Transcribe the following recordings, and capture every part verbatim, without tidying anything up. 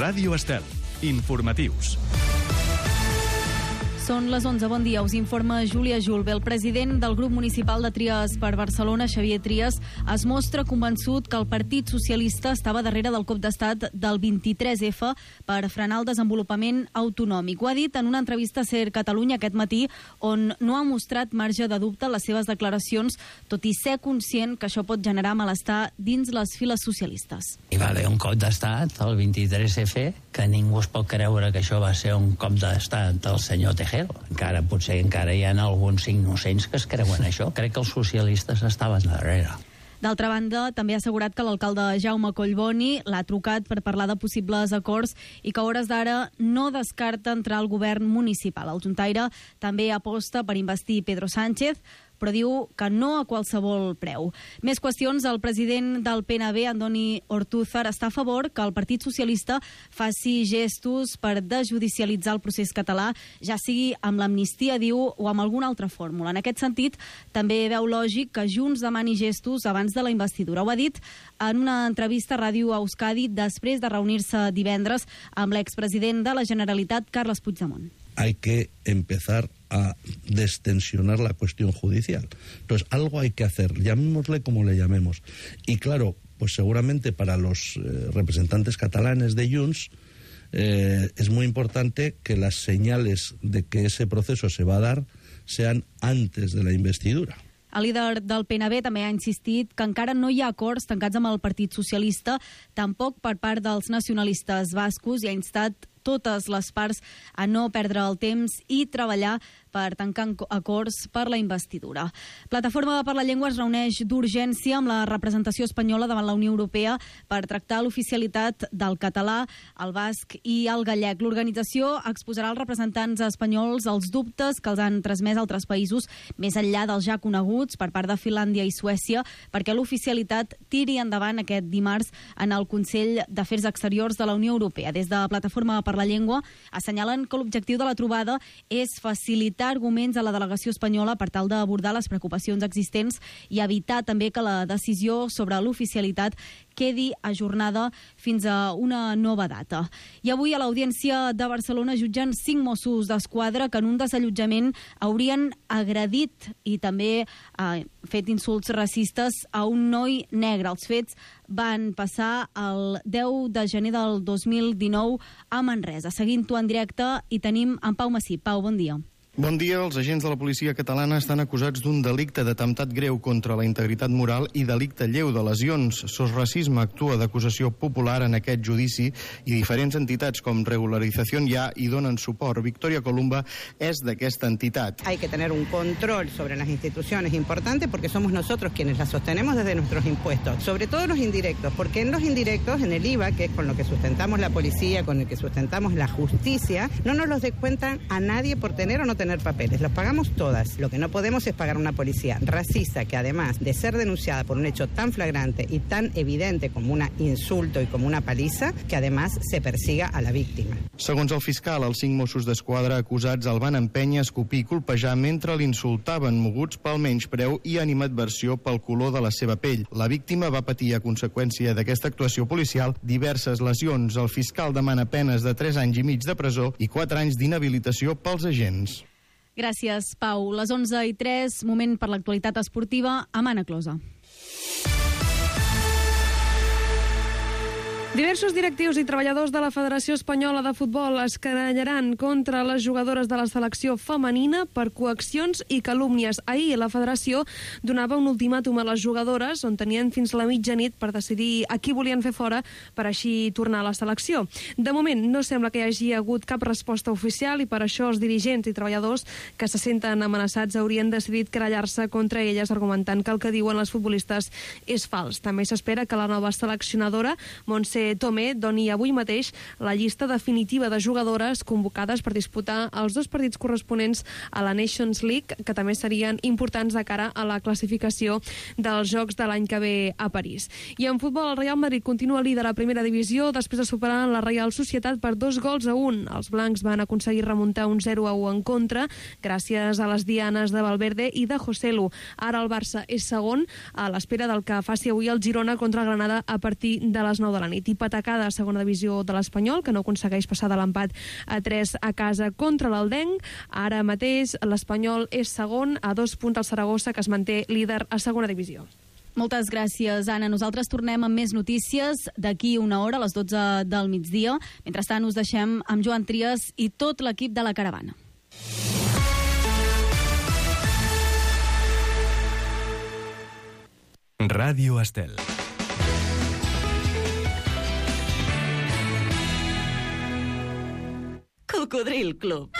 Ràdio Estel. Informatius. Són les onze, bon dia, us informa Júlia Julve. El president del grup municipal de Trias per Barcelona, Xavier Trias, es mostra convençut que el Partit Socialista estava darrere del cop d'estat del vint-i-tres efa per frenar el desenvolupament autonòmic. Ho ha dit en una entrevista a Ser Catalunya aquest matí, on no ha mostrat marge de dubte en les seves declaracions, tot i ser conscient que això pot generar malestar dins les files socialistes. Hi va haver un cop d'estat, el vint-i-tres efa, que ningú es pot creure que això va ser un cop d'estat del senyor Tejero. Encara, potser encara hi ha alguns innocents que es creuen això. Crec que els socialistes estaven darrere. D'altra banda, també ha assegurat que l'alcalde Jaume Collboni l'ha trucat per parlar de possibles acords i que a hores d'ara no descarta entrar al govern municipal. El juntaire també aposta per investir Pedro Sánchez, però diu que no a qualsevol preu. Més qüestions, el president del P N B, Andoni Ortúzar, està a favor que el Partit Socialista faci gestos per desjudicialitzar el procés català, ja sigui amb l'amnistia, diu, o amb alguna altra fórmula. En aquest sentit, també veu lògic que Junts demani gestos abans de la investidura. Ho ha dit en una entrevista a Ràdio Euskadi després de reunir-se divendres amb l'expresident de la Generalitat, Carles Puigdemont. Hay que empezar a destensionar la cuestión judicial. Entonces, algo hay que hacer, llamémosle como le llamemos. Y claro, pues seguramente para los eh, representantes catalanes de Junts eh, es muy importante que las señales de que ese proceso se va a dar sean antes de la investidura. El líder del P N B també ha insistit que encara no hi ha acords tancats amb el Partit Socialista, tampoc per part dels nacionalistes bascos, i ha instat totes les parts a no perdre el temps i treballar per tancar acords per la investidura. Plataforma per la Llengua es reuneix d'urgència amb la representació espanyola davant la Unió Europea per tractar l'oficialitat del català, el basc i el gallec. L'organització exposarà als representants espanyols els dubtes que els han transmès altres països, més enllà dels ja coneguts per part de Finlàndia i Suècia, perquè l'oficialitat tiri endavant aquest dimarts en el Consell d'Afers Exteriors de la Unió Europea. Des de Plataforma per la Llengua assenyalen que l'objectiu de la trobada és facilitar arguments a la delegació espanyola per tal d'abordar les preocupacions existents i evitar també que la decisió sobre l'oficialitat quedi ajornada fins a una nova data. I avui a l'Audiència de Barcelona jutgen cinc Mossos d'Esquadra que en un desallotjament haurien agredit i també eh, fet insults racistes a un noi negre. Els fets van passar el deu de gener del dos mil dinou a Manresa. Seguint-ho en directe hi tenim en Pau Massí. Pau, bon dia. Bon dia. Els agents de la policia catalana estan acusats d'un delicte d'atemptat greu contra la integritat moral i delicte lleu de lesions. Sos Racisme actua d'acusació popular en aquest judici i diferents entitats com Regularización Ya hi donen suport. Victoria Columba és d'aquesta entitat. Hay que tener un control sobre las instituciones importante porque somos nosotros quienes las sostenemos desde nuestros impuestos, sobre todo los indirectos, porque en los indirectos, en el I V A, que es con lo que sustentamos la policía, con el que sustentamos la justicia, no nos los descuentan a nadie por tener o no tener tener papeles, los pagamos todas. Lo que no podemos es pagar una policía racista que, además de ser denunciada por un hecho tan flagrante y tan evidente como un insulto y como una paliza, que además se persiga a la víctima. Segons el fiscal, els cinc Mossos d'Esquadra acusats el van empènyer, escopir i colpejar mentre l'insultaven, moguts pel menyspreu i animadversió pel color de la seva pell. La víctima va patir a conseqüència d'aquesta actuació policial diverses lesions. El fiscal demana penes de tres anys i mig de presó i quatre anys d'inhabilitació pels agents. Gràcies, Pau. Les onze i tres, moment per l'actualitat esportiva amb Anna Closa. Diversos directius i treballadors de la Federació Espanyola de Futbol es querellaran contra les jugadores de la selecció femenina per coaccions i calúmnies. Ahir la Federació donava un ultimàtum a les jugadores on tenien fins la mitjanit per decidir a qui volien fer fora per així tornar a la selecció. De moment no sembla que hi hagi hagut cap resposta oficial i per això els dirigents i treballadors que se senten amenaçats haurien decidit querellar-se contra elles argumentant que el que diuen les futbolistes és fals. També s'espera que la nova seleccionadora, Montse Tomé, doni avui mateix la llista definitiva de jugadores convocades per disputar els dos partits corresponents a la Nations League, que també serien importants de cara a la classificació dels Jocs de l'any que ve a París. I en futbol, el Real Madrid continua líder a primera divisió després de superar la Real Societat per dos gols a un. Els blancs van aconseguir remuntar un zero a u en contra gràcies a les dianes de Valverde i de Joselu. Ara el Barça és segon a l'espera del que faci avui el Girona contra el Granada a partir de les nou de la nit. i patacada a segona divisió de l'Espanyol, que no aconsegueix passar de l'empat a tres a casa contra l'Aldenc. Ara mateix l'Espanyol és segon, a dos punts al Saragossa, que es manté líder a segona divisió. Moltes gràcies, Anna. Nosaltres tornem amb més notícies d'aquí una hora, a les dotze del migdia. Mentrestant, us deixem amb Joan Trias i tot l'equip de la Caravana. Ràdio Estel. Cocodril Club.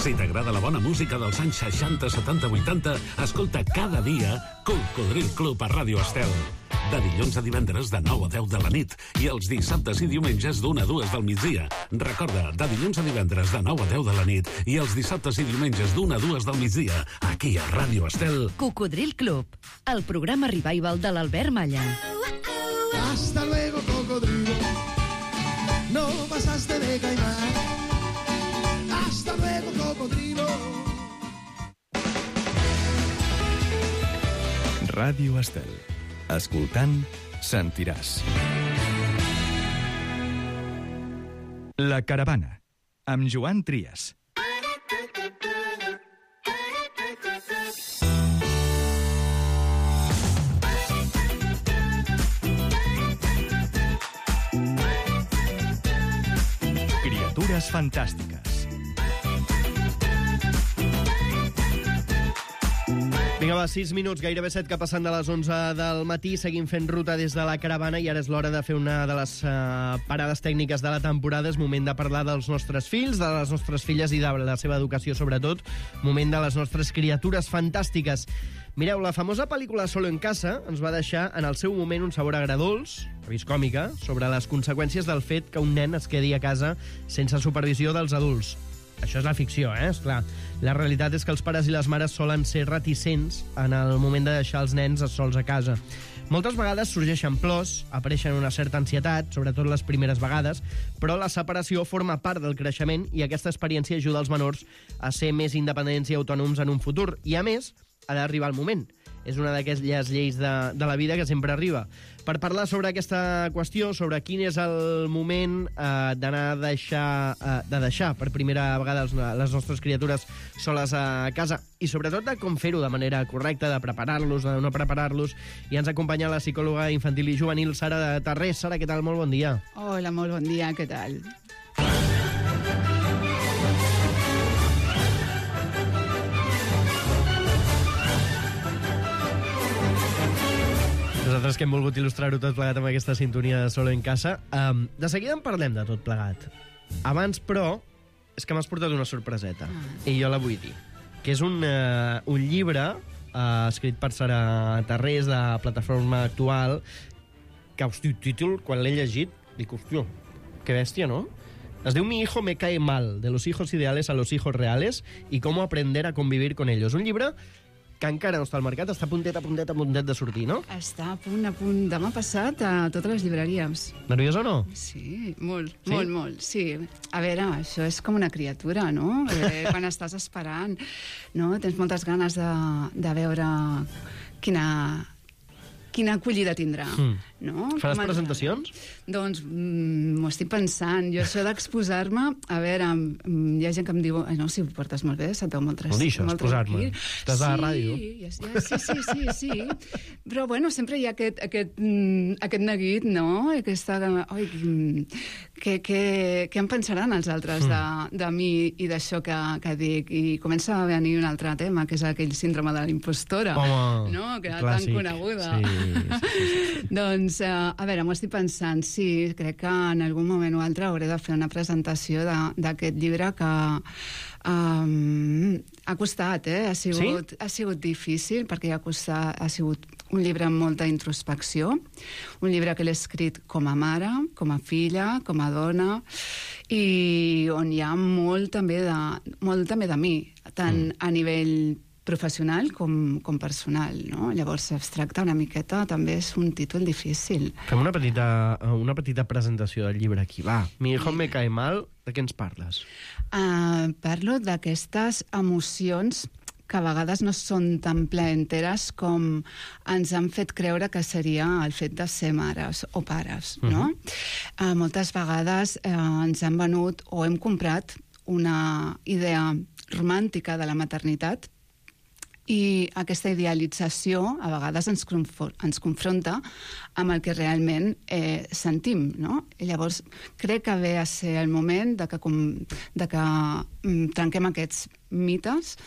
Si t'agrada la bona música dels anys seixanta, setanta, vuitanta, escolta cada dia Cocodril Club a Ràdio Estel. De dilluns a divendres de nou a deu de la nit i els dissabtes i diumenges d'una a dues del migdia. Recorda, de dilluns a divendres de nou a deu de la nit i els dissabtes i diumenges d'una a dues del migdia, aquí a Ràdio Estel. Cocodril Club, el programa revival de l'Albert Malla. Hasta luego, cocodrilo. No pasaste de caimán. Hasta luego, cocodrilo. Ràdio Estel. Escoltant, sentiràs. La Caravana, amb Joan Trias. Criatures fantàstiques. Vinga, va, sis minuts, gairebé set que passen de les onze del matí. Seguim fent ruta des de la Caravana i ara és l'hora de fer una de les uh, parades tècniques de la temporada. És moment de parlar dels nostres fills, de les nostres filles i de la seva educació, sobretot. Moment de les nostres criatures fantàstiques. Mireu, la famosa pel·lícula Solo en casa ens va deixar en el seu moment un sabor agredolç, a vist còmica, sobre les conseqüències del fet que un nen es quedi a casa sense supervisió dels adults. Això és la ficció, eh? Esclar. La realitat és que els pares i les mares solen ser reticents en el moment de deixar els nens sols a casa. Moltes vegades sorgeixen plors, apareixen una certa ansietat, sobretot les primeres vegades, però la separació forma part del creixement i aquesta experiència ajuda els menors a ser més independents i autònoms en un futur. I, a més, ha d'arribar el moment. És una d'aquelles lleis de, de la vida que sempre arriba. Per parlar sobre aquesta qüestió, sobre quin és el moment eh, d'anar a deixar, eh, de deixar per primera vegada les, les nostres criatures soles a casa i sobretot de com fer-ho de manera correcta, de preparar-los, de no preparar-los, i ens acompanya la psicòloga infantil i juvenil Sara Tarrés. Sara, què tal? Molt bon dia. Hola, molt bon dia, què tal? Nosaltres que hem volgut il·lustrar-ho tot plegat amb aquesta sintonia de Solo en casa. Um, de seguida en parlem de tot plegat. Abans, però, és que m'has portat una sorpreseta. Ah. I jo la vull dir. Que és un, uh, un llibre uh, escrit per Sara Tarrés, de Plataforma Actual, que, hosti, títol, quan l'he llegit, dic, hòstia, que bèstia, no? Es diu Mi hijo me cae mal, de los hijos ideales a los hijos reales y cómo aprender a convivir con ellos. Un llibre que encara no està al mercat, està a puntet, a puntet, a puntet de sortir, no? Està a punt, a punt. Demà passat a totes les llibreries. Nerviós o no? Sí, molt, sí? molt, molt, sí. A veure, això és com una criatura, no? Eh, quan estàs esperant, no? Tens moltes ganes de, de veure quina... quina acollida tindrà, mm. no? Faràs Com presentacions? Doncs mm, m'ho estic pensant. Jo això d'exposar-me, a veure, mm, hi ha gent que em diu, no, si ho portes molt bé, se't veu molt tranquil. No deixes, exposar-me. Estàs sí, a la ràdio. Ja, ja, sí, sí, sí, sí. Però, bueno, sempre hi ha aquest, aquest, mm, aquest neguit, no? Aquesta, oi, què, què, què em pensaran els altres de, de mi i d'això que, que dic? I comença a venir un altre tema, que és aquell síndrome de l'impostora. Home, no? Que era clàssic. Tan coneguda. Sí. Sí, sí, sí. Doncs, uh, a veure, m'ho estic pensant, sí, crec que en algun moment o altre hauré de fer una presentació d'aquest llibre que um, ha costat, eh? Ha sigut, sí? ha sigut difícil, perquè ha, costat, ha sigut un llibre amb molta introspecció, un llibre que l'he escrit com a mare, com a filla, com a dona, i on hi ha molt també de, molt també de mi, tant mm. a nivell professional com, com personal, no? Llavors es tracta una miqueta, també és un títol difícil. Fem una petita, una petita presentació del llibre aquí, va. Mi hijo me cae mal, de què ens parles? Uh, parlo d'aquestes emocions que a vegades no són tan plaenteres com ens han fet creure que seria el fet de ser mares o pares, no? Uh-huh. Uh, moltes vegades uh, ens han venut o hem comprat una idea romàntica de la maternitat i aquesta idealització a vegades ens, ens confronta amb el que realment eh, sentim, no? I llavors crec que ve a ser el moment de que, com, de que mm, trenquem aquests mites,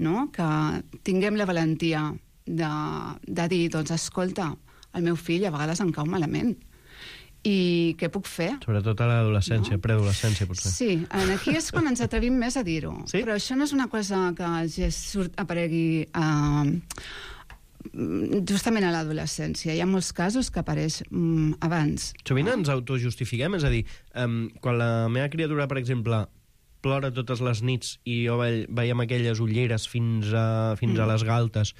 no? Que tinguem la valentia de, de dir, doncs, escolta, el meu fill a vegades em cau malament. I què puc fer? Sobretot a l'adolescència, no? Preadolescència, potser. Sí, aquí és quan ens atrevim més a dir-ho. Sí? Però això no és una cosa que ja surt, aparegui uh, justament a l'adolescència. Hi ha molts casos que apareix um, abans. Sovint ens autojustifiquem, és a dir, um, quan la meva criatura, per exemple, plora totes les nits i jo ve veiem aquelles ulleres fins a, fins mm. a les galtes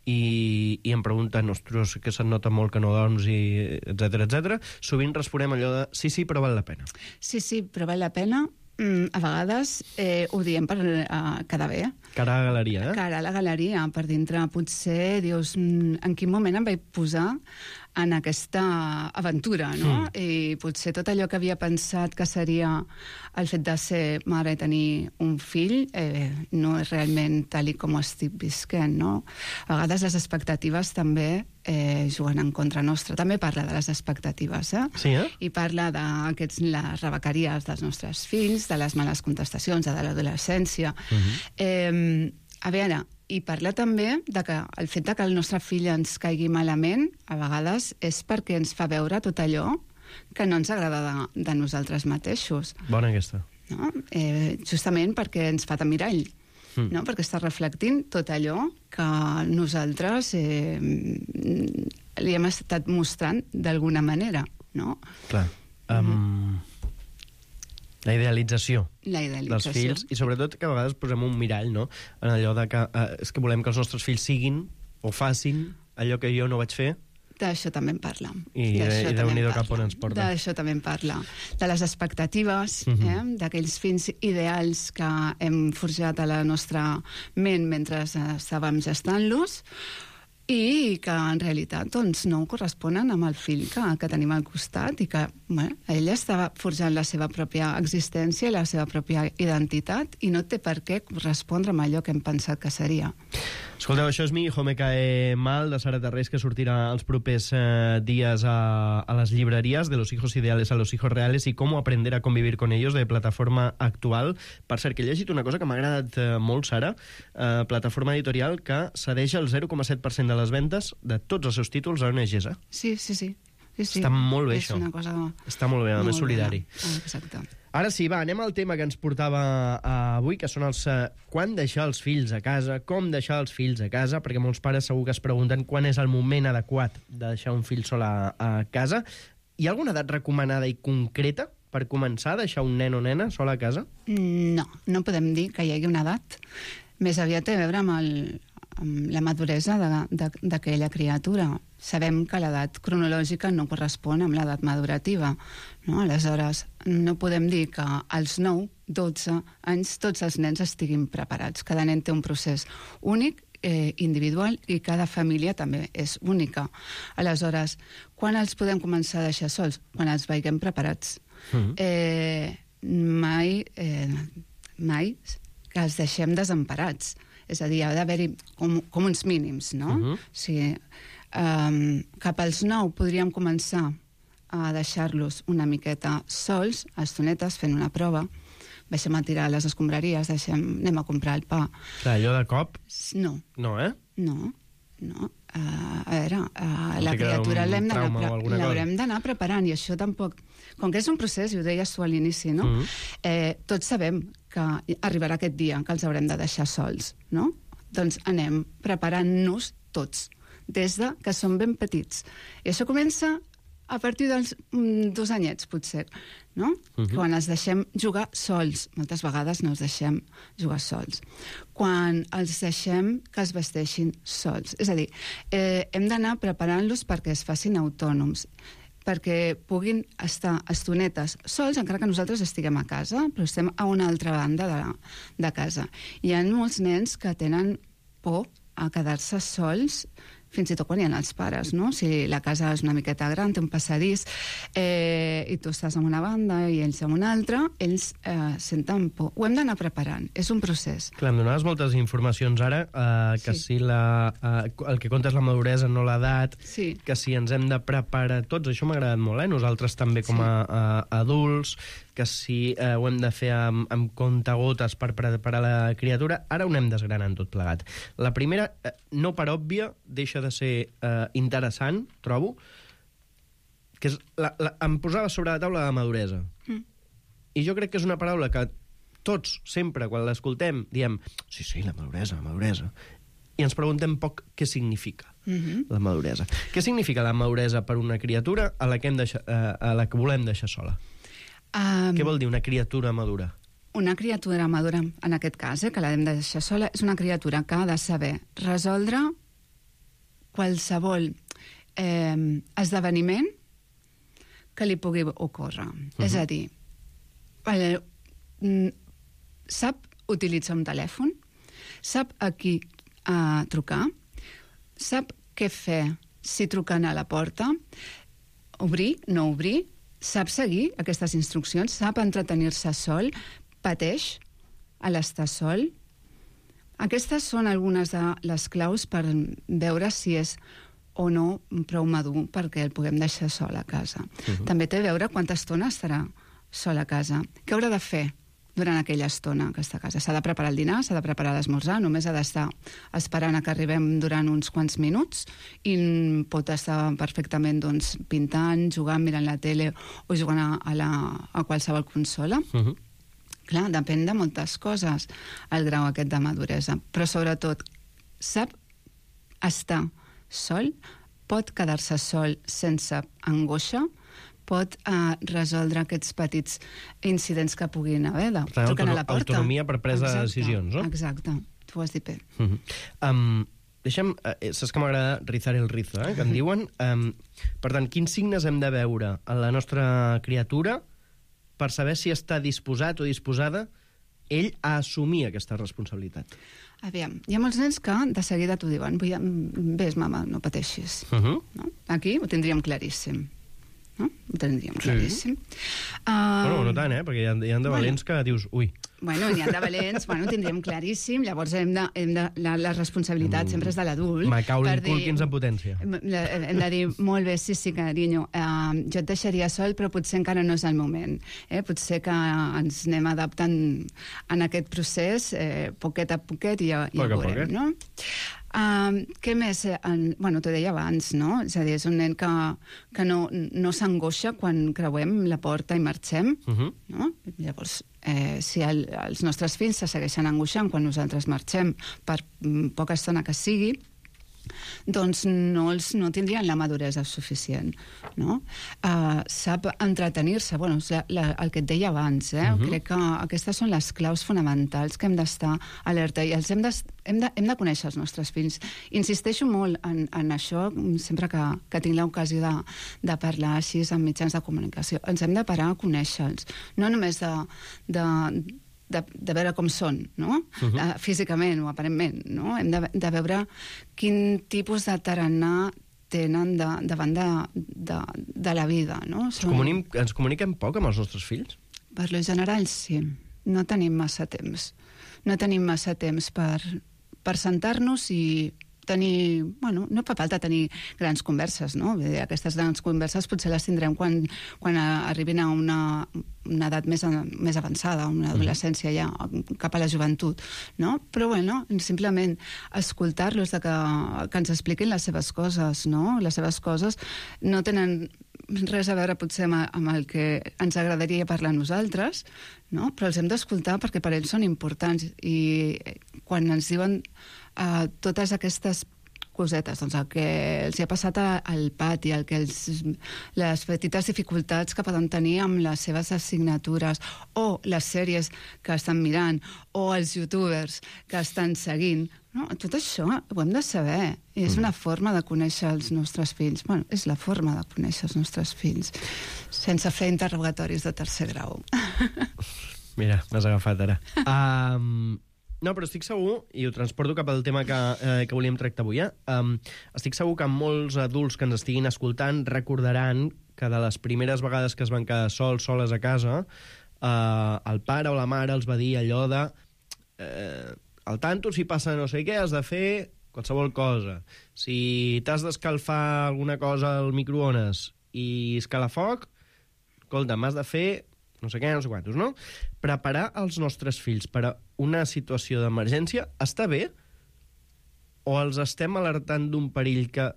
i, i em pregunten, ostres, que se't nota molt que no dorms, i etcètera, etcètera, sovint responem allò de sí, sí, però val la pena. Sí, sí, però val la pena. Mm, a vegades eh, ho diem per uh, quedar bé. Cara a la galeria, eh? Cara a la galeria. Per dintre potser dius, mm, en quin moment em vaig posar en aquesta aventura, no? Mm. I potser tot allò que havia pensat que seria el fet de ser mare i tenir un fill eh, no és realment tal i com ho estic visquent, no? A vegades les expectatives també eh, juguen en contra nostra. També parla de les expectatives, eh? Sí, eh? I parla de aquests, les rebequeries dels nostres fills, de les males contestacions, de l'adolescència. Uh-huh. eh, a veure, i parla també de que el fet de que el nostre fill ens caigui malament, a vegades és perquè ens fa veure tot allò que no ens agrada de, de nosaltres mateixos. Bona aquesta. No? Eh, justament perquè ens fa de mirall, mm. no? Perquè està reflectint tot allò que nosaltres eh, li hem estat mostrant d'alguna manera, no? Clar. Um... Mm. La idealització, la idealització dels fills, i sobretot que a vegades posem un mirall, no? En allò de que eh, és que volem que els nostres fills siguin o facin allò que jo no vaig fer. D'això també en parla. I, i Déu-n'hi-do cap on ens porta. D'això també en parla. De les expectatives, uh-huh. eh? D'aquells fills ideals que hem forjat a la nostra ment mentre estàvem gestant-los, i que en realitat doncs, no corresponen amb el fill que, que tenim al costat i que bueno, ella estava forjant la seva pròpia existència, la seva pròpia identitat i no té per què correspondre amb allò que hem pensat que seria. Escolteu, això és Mi hijo me cae mal, de Sara Tarrés, que sortirà els propers eh, dies a, a les llibreries, de los hijos ideales a los hijos reales y cómo aprender a convivir con ellos, de Plataforma Actual. Per cert, que he llegit una cosa que m'ha agradat eh, molt, Sara, eh, Plataforma Editorial, que cedeix el zero coma set per cent de les vendes de tots els seus títols a O N Gs. Eh? Sí, sí, sí. Sí, sí. Està molt bé, és això. Una cosa... Està molt bé, a més solidari. Ah, exacte. Ara sí, va, anem al tema que ens portava uh, avui, que són els... Uh, quan deixar els fills a casa, com deixar els fills a casa, perquè molts pares segur que es pregunten quan és el moment adequat de deixar un fill sol a, a casa. Hi ha alguna edat recomanada i concreta per començar a deixar un nen o nena sol a casa? No, no podem dir que hi hagi una edat. Més aviat té a veure amb el... amb la maduresa d'aquella criatura. Sabem que l'edat cronològica no correspon amb l'edat madurativa, no? Aleshores, no podem dir que als nou, dotze anys tots els nens estiguin preparats. Cada nen té un procés únic, eh, individual, i cada família també és única. Aleshores, quan els podem començar a deixar sols? Quan els veiem preparats. Mm-hmm. eh, mai, eh, mai que els deixem desemparats. És a dir, ha d'haver-hi com, com uns mínims, no? Uh-huh. O sigui, um, cap als nou podríem començar a deixar-los una miqueta sols, a estonetes, fent una prova. Deixem a tirar les escombraries, deixem, anem a comprar el pa. Clar, allò de cop? No. No, eh? No, no. Uh, a veure, uh, la criatura l'haurem d'anar preparant, i això tampoc... Com que és un procés, i ho deies tu a l'inici, no? Mm-hmm. eh, tots sabem que arribarà aquest dia que els haurem de deixar sols, no? Doncs anem preparant-nos tots, des de que som ben petits. I això comença a partir dels mm, dos anyets, potser, no? Mm-hmm. Quan els deixem jugar sols. Moltes vegades no els deixem jugar sols. Quan els deixem que es vesteixin sols. És a dir, eh, hem d'anar preparant-los perquè es facin autònoms, perquè puguin estar estonetes sols, encara que nosaltres estiguem a casa, però estem a una altra banda de, de casa. Hi ha molts nens que tenen por a quedar-se sols, fins i tot quan hi ha els pares, no? Si la casa és una miqueta gran, té un passadís, eh, i tu estàs en una banda i ells en una altra, ells eh, senten por. Ho hem d'anar preparant, és un procés. Clar, em donaves moltes informacions ara, eh, que sí. si la, eh, el que compta és la maduresa, no l'edat, sí. que si ens hem de preparar tots, això m'ha agradat molt, eh? Nosaltres també com a, a adults, que si eh, ho hem de fer amb, amb comptagotes per preparar la criatura. Ara ho anem desgranant tot plegat. La primera, eh, no per òbvia, deixa de ser eh, interessant, trobo, que és la, la, em posava sobre la taula la maduresa. Mm. I jo crec que és una paraula que tots, sempre, quan l'escoltem, diem, sí, sí, la maduresa, la maduresa, i ens preguntem poc què significa mm-hmm. la maduresa. Què significa la maduresa per una criatura a la que, hem deixat, eh, a la que volem deixar sola? Um, Què vol dir una criatura madura? Una criatura madura, en aquest cas, eh, que l'hem de deixar sola, és una criatura que ha de saber resoldre qualsevol eh, esdeveniment que li pugui ocórrer. Uh-huh. És a dir, eh, sap utilitzar un telèfon, sap a qui eh, trucar, sap què fer si truquen a la porta, obrir, no obrir, sap seguir aquestes instruccions, sap entretenir-se sol, pateix a l'estar sol. Aquestes són algunes de les claus per veure si és o no prou madur perquè el puguem deixar sol a casa. Uh-huh. També té a veure quanta estona estarà sol a casa. Què haurà de fer durant aquella estona que està a casa? S'ha de preparar el dinar, s'ha de preparar l'esmorzar, només ha d'estar esperant a que arribem durant uns quants minuts i pot estar perfectament doncs, pintant, jugant, mirant la tele o jugant a, a, la, a qualsevol consola. Uh-huh. Clar, depèn de moltes coses el grau aquest de maduresa, però sobretot sap estar sol, pot quedar-se sol sense angoixa, pot uh, resoldre aquests petits incidents que puguin haver de tant, truquen a la porta. Autonomia per presa exacte, de decisions, no? Exacte, tu ho has dit bé. Uh-huh. um, deixa'm, eh, saps que m'agrada rizar el rizo, eh, que en diuen. Um, per tant, quins signes hem de veure en la nostra criatura per saber si està disposat o disposada ell a assumir aquesta responsabilitat? Aviam, hi ha molts nens que de seguida t'ho diuen, vés, mama, no pateixis. Uh-huh. No? Aquí ho tindríem claríssim. No? Ho tindríem claríssim. Sí. Uh, bueno, no tant, eh? Perquè hi ha, hi ha de valents bueno, que dius, ui... Bueno, n'hi ha de valents, bueno, ho tindríem claríssim, llavors hem de, hem de, la, la responsabilitat mm. sempre és de l'adult. Macaulay Culkins en potència. Hem de dir, molt bé, sí, sí, carinyo, uh, jo et deixaria sol, però potser encara no és el moment. Eh? Potser que ens anem adaptant en aquest procés, eh, poquet a poquet, i ja, ja ho veurem, no? Uh, què més? Uh, bueno, t'ho deia abans, no? És a dir, és un nen que, que no, no s'angoixa quan creuem la porta i marxem, uh-huh. no? Llavors, eh, si el, els nostres fills se segueixen angoixant quan nosaltres marxem per poca estona que sigui, doncs no, els, no tindrien la maduresa suficient, no? Uh, sap entretenir-se, bueno, la, la, el que et deia abans, eh? Uh-huh. Crec que aquestes són les claus fonamentals que hem d'estar alerta i els hem de, hem, de, hem de conèixer els nostres fills. Insisteixo molt en, en això sempre que, que tinc l'ocasió de, de parlar així en mitjans de comunicació. Ens hem de parar a conèixer-los, no només de... de De, de veure com són, no? Uh-huh. uh, físicament o aparentment, no? Hem de, de veure quin tipus de tarannà tenen de, davant de, de, de la vida, no? Ens, comunim, ens comuniquem poc amb els nostres fills? Per lo general, sí. No tenim massa temps. No tenim massa temps per, per sentar-nos i tenir... Bueno, no fa falta tenir grans converses, no? Aquestes grans converses potser les tindrem quan, quan arribin a una, una edat més, més avançada, una adolescència ja, cap a la joventut, no? Però, bueno, simplement escoltar-los, de que, que ens expliquin les seves coses, no? Les seves coses no tenen res a veure potser amb, amb el que ens agradaria parlar a nosaltres, no? Però els hem d'escoltar perquè per ells són importants i quan ens diuen uh, totes aquestes cosetes, doncs el que els ha passat al pati, el que els, les petites dificultats que poden tenir amb les seves assignatures, o les sèries que estan mirant, o els youtubers que estan seguint, no? Tot això ho hem de saber, i és una forma de conèixer els nostres fills. Bueno, és la forma de conèixer els nostres fills, sense fer interrogatoris de tercer grau. Mira, m'has agafat ara. Um, no, però estic segur, i ho transporto cap al tema que, eh, que volíem tractar avui, eh? Um, estic segur que molts adults que ens estiguin escoltant recordaran que de les primeres vegades que es van quedar sols, soles a casa, eh, el pare o la mare els va dir allò de eh, al tanto, si passa no sé què, has de fer qualsevol cosa. Si t'has d'escalfar alguna cosa al microones i escalafoc, escolta, m'has de fer no sé què, no sé quantos, no? Preparar els nostres fills per a una situació d'emergència està bé? O els estem alertant d'un perill que...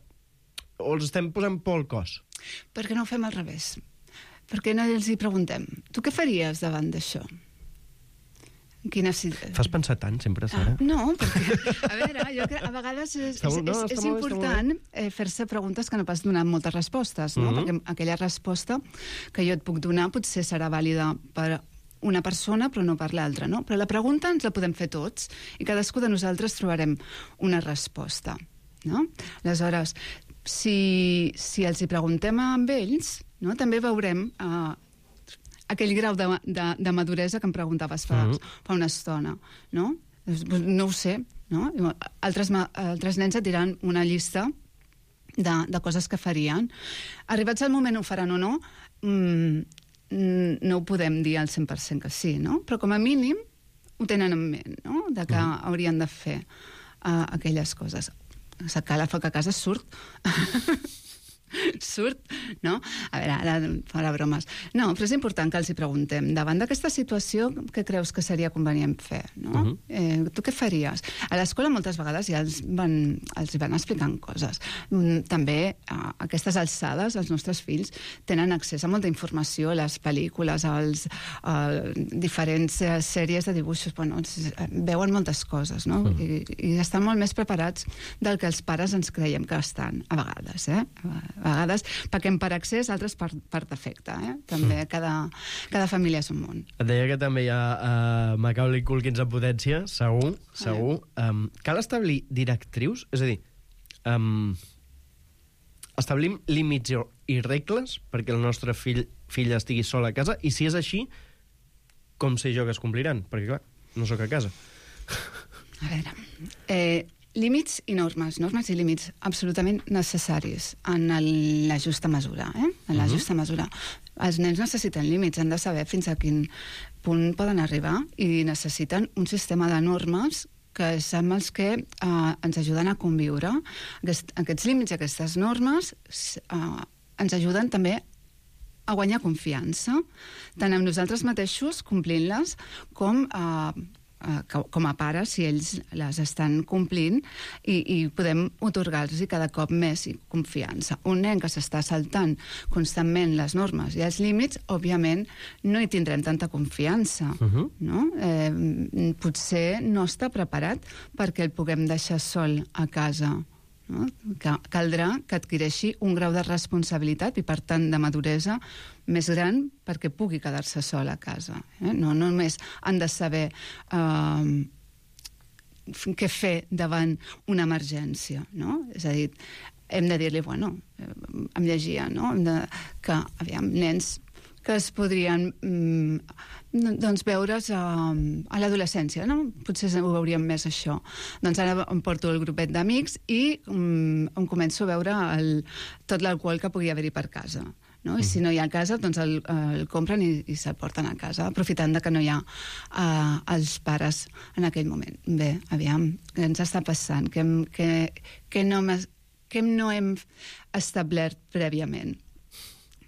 o els estem posant por al cos? Per què no ho fem al revés? Per què no els hi preguntem? Tu què faries davant d'això? Quina... Fas pensar tant, sempre, Sara? Ah, no, perquè, a veure, jo crec, a vegades és, és, no, és, és important eh, fer-se preguntes que no pas donar moltes respostes, no? Mm-hmm. Perquè aquella resposta que jo et puc donar potser serà vàlida per una persona però no per l'altra, no? Però la pregunta ens la podem fer tots i cadascú de nosaltres trobarem una resposta, no? Aleshores, si, si els hi preguntem a ells, no? També veurem... Eh, aquell grau de, de, de maduresa que em preguntaves fa, mm-hmm. fa una estona, no? No ho sé, no? Altres, altres nens et diran una llista de, de coses que farien. Arribats al moment ho faran o no, mmm, no ho podem dir al cent per cent que sí, no? Però com a mínim ho tenen en ment, no? De que mm. haurien de fer uh, aquelles coses. Sacar la foc a casa surt... surt, no? A veure, ara farà bromes. No, però és important que els hi preguntem. Davant d'aquesta situació, què creus que seria convenient fer? No? Uh-huh. eh, tu què faries? A l'escola moltes vegades ja els van, els van explicant coses. Mm, també a aquestes alçades els nostres fills tenen accés a molta informació, a les pel·lícules, als a diferents sèries de dibuixos, bueno, veuen moltes coses, no? Uh-huh. I, i estan molt més preparats del que els pares ens creiem que estan, a vegades, eh? A vegades paquem per accés, altres per, per defecte, eh? També cada, cada família és un món. Et deia que també hi ha uh, Macaulay Culkin en potència, segur, segur. Um, cal establir directrius? És a dir, um, establim límits i regles perquè el nostre fill filla estigui sol a casa, i si és així, com sé jo que es compliran? Perquè, clar, no sóc a casa. A veure... Eh... Límits i normes, normes i límits absolutament necessaris en el, la justa mesura, eh? En la uh-huh. justa mesura. Els nens necessiten límits, han de saber fins a quin punt poden arribar i necessiten un sistema de normes que és amb els que eh, ens ajuden a conviure. Aquest, aquests límits i aquestes normes eh, ens ajuden també a guanyar confiança, tant en nosaltres mateixos, complint-les, com a eh, com a pares, si ells les estan complint, i, i podem otorgar-los cada cop més confiança. Un nen que s'està saltant constantment les normes i els límits, òbviament, no hi tindrem tanta confiança. Uh-huh. No? Eh, potser no està preparat perquè el puguem deixar sol a casa. No? Caldrà que adquireixi un grau de responsabilitat i, per tant, de maduresa més gran perquè pugui quedar-se sol a casa. Eh? No només han de saber eh, què fer davant una emergència, no? És a dir, hem de dir-li, bueno, em llegia, no? Hem de, que, aviam, nens que es podrien mm, doncs veure's a, a l'adolescència, no? Potser ho veuríem més això. Doncs ara em porto el grupet d'amics i mm, em començo a veure el, tot l'alcohol que pugui haver-hi per casa. No? I si no hi ha a casa, doncs el, el compren i, i se'l porten a casa, aprofitant de que no hi ha uh, els pares en aquell moment. Bé, aviam, què ens està passant? Què, què, què, no, què no hem establert prèviament?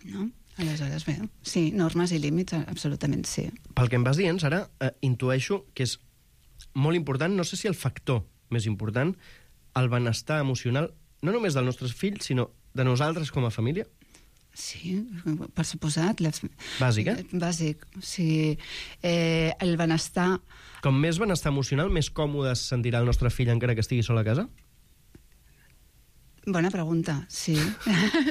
No? Aleshores, bé, sí, normes i límits, absolutament sí. Pel que em vas dient, Sara, eh, intueixo que és molt important, no sé si el factor més important, el benestar emocional, no només dels nostres fills, sinó de nosaltres com a família? Sí, per suposat. Les... Bàsic, eh? Bàsic, sí. Eh, el benestar... Com més benestar emocional, més còmode es sentirà el nostre fill encara que estigui sol a casa? Bona pregunta, sí.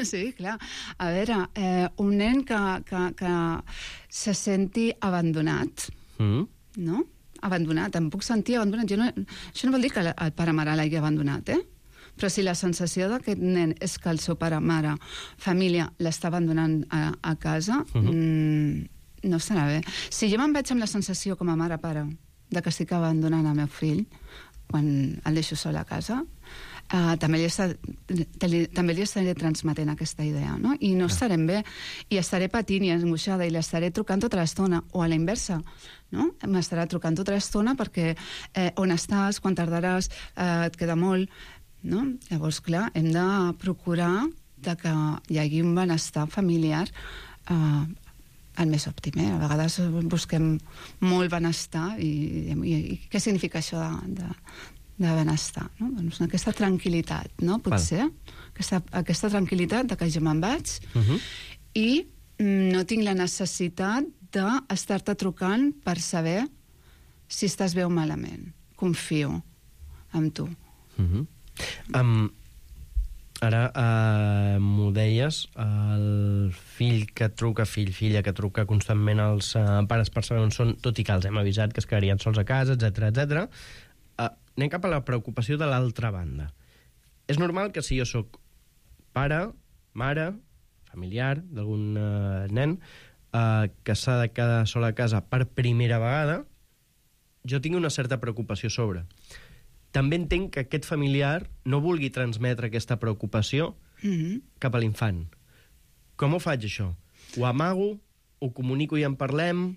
Sí, clar. A veure, eh, un nen que, que, que se senti abandonat, mm. no? Abandonat, em puc sentir abandonat. Jo no, això no vol dir que el pare-mare l'hagi abandonat, eh? Però si la sensació d'aquest nen és que el seu pare-mare, família, l'està abandonant a, a casa, uh-huh. mm, no estarà bé. Si jo me'n vaig amb la sensació com a mare-pare de que estic abandonant el meu fill quan el deixo sol a casa, Uh, també, li està, també li estaré transmetent aquesta idea, no? I no estarem bé, i estaré patint i angoixada, i l'estaré trucant tota l'estona, o a la inversa, no? M'estarà trucant tota l'estona perquè eh, on estàs, quan tardaràs, eh, et queda molt, no? Llavors, clar, hem de procurar de que hi hagi un benestar familiar eh, el més òptim, eh? A vegades busquem molt benestar i, i, i què significa això de, de de benestar, no? Doncs aquesta tranquil·litat, no? Potser, aquesta, aquesta tranquil·litat de que jo me'n vaig uh-huh. i mm, no tinc la necessitat d'estar-te trucant per saber si estàs bé o malament. Confio en tu. Uh-huh. Um, ara, uh, m'ho deies, el fill que truca, fill, filla que truca constantment als uh, pares per saber on són, tot i que els hem avisat que es quedarien sols a casa, etcètera, etcètera. Uh, anem cap a la preocupació de l'altra banda. És normal que si jo sóc pare, mare, familiar d'algun uh, nen uh, que s'ha de quedar sol a casa per primera vegada, jo tinc una certa preocupació sobre. També entenc que aquest familiar no vulgui transmetre aquesta preocupació mm-hmm. cap a l'infant. Com ho faig, això? Ho amago? Ho comunico i en parlem?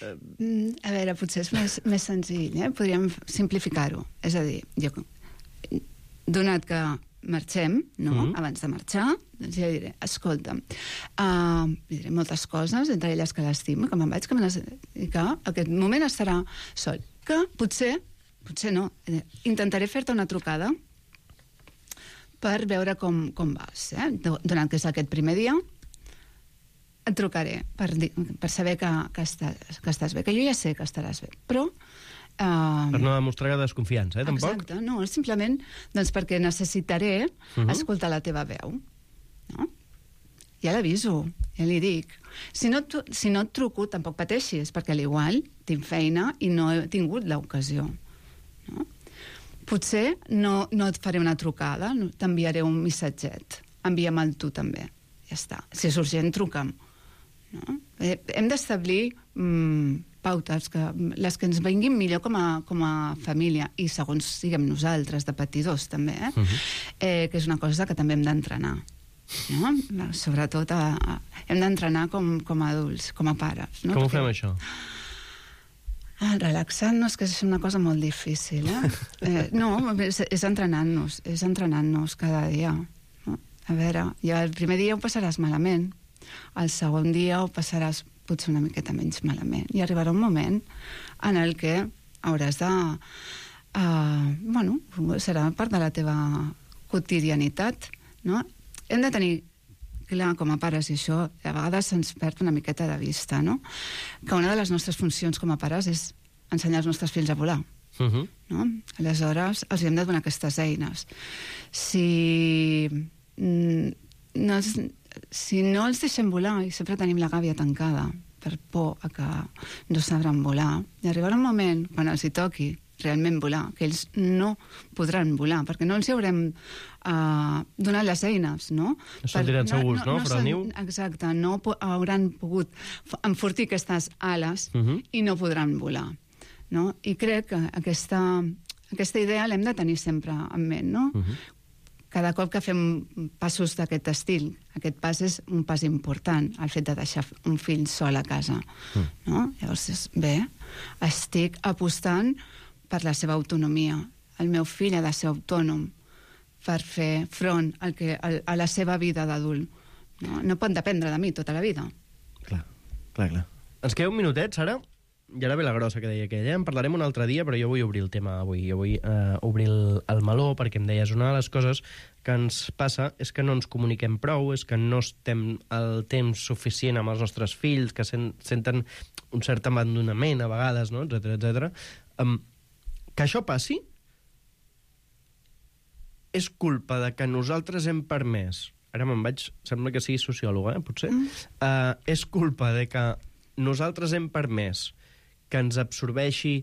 Mm, a veure, potser és més, més senzill, eh? Podríem simplificar-ho. És a dir, jo, donat que marxem, no? Mm-hmm. Abans de marxar, doncs ja diré, escolta'm, uh, diré moltes coses, entre elles que l'estimo, que me'n vaig, que me les... i que aquest moment estarà sol. Que potser, potser no, eh, intentaré fer-te una trucada per veure com, com vas, eh? Donat que és aquest primer dia, et trucaré per, dir, per saber que, que, estàs, que estàs bé, que jo ja sé que estaràs bé, però... Uh, per no demostrar desconfiança, eh, tampoc? Exacte, no, simplement doncs perquè necessitaré uh-huh. escoltar la teva veu, no? Ja l'aviso, ja li dic. Si no, tu, si no et truco, tampoc pateixis, perquè a l'igual tinc feina i no he tingut l'ocasió, no? Potser no, no et faré una trucada, no, t'enviaré un missatget, envia'm-el tu també, ja està. Si és urgent, truca'm. No? Eh, hem d'establir mm, pautes, que, les que ens vinguin millor com a, com a família, i segons siguem nosaltres, de patidors també, eh? Uh-huh. Eh, que és una cosa que també hem d'entrenar. No? Sobretot a, a, hem d'entrenar com, com a adults, com a pares. No? Com ho Perquè, fem, això? Ah, relaxant-nos, que és una cosa molt difícil. Eh? eh, no, és, és entrenant-nos, és entrenant-nos cada dia. No? A veure, ja el primer dia ho passaràs malament, el segon dia ho passaràs potser una miqueta menys malament, i arribarà un moment en el que hauràs de... Uh, bueno, serà part de la teva quotidianitat, no? Hem de tenir clar, com a pares, i això a vegades se'ns perd una miqueta de vista, no? Que una de les nostres funcions com a pares és ensenyar els nostres fills a volar. Uh-huh. No? Aleshores, els hem de donar aquestes eines. Si... Mm, no els, si no els deixem volar, i sempre tenim la gàbia tancada per por a que no sabran volar, i arribarà un moment quan els hi toqui realment volar, que ells no podran volar, perquè no els hi haurem uh, donat les eines, no? No se'n diran segurs, no? no, no Però niu... Exacte, no po hauran pogut enfortir aquestes ales uh-huh. i no podran volar, no? I crec que aquesta, aquesta idea l'hem de tenir sempre en ment, no? Uh-huh. Cada cop que fem passos d'aquest estil, aquest pas és un pas important, el fet de deixar un fill sol a casa. Mm. No? Llavors, bé, estic apostant per la seva autonomia. El meu fill ha de ser autònom per fer front al que, a la seva vida d'adult. No? No pot dependre de mi tota la vida. Clar, clar, clar. Ens queda un minutet, Sara? I ara ve la grossa que deia aquella. En parlarem un altre dia, però jo vull obrir el tema avui. Jo vull eh, obrir el, el meló, perquè em deies, una de les coses que ens passa és que no ens comuniquem prou, és que no estem el temps suficient amb els nostres fills, que sen, senten un cert abandonament a vegades, no? etcètera, etcètera. Um, que això passi és culpa de que nosaltres hem permès... Ara me'n vaig... Sembla que sigui sociòloga, eh, potser? Mm. Uh, és culpa de que nosaltres hem permès que ens absorbeixi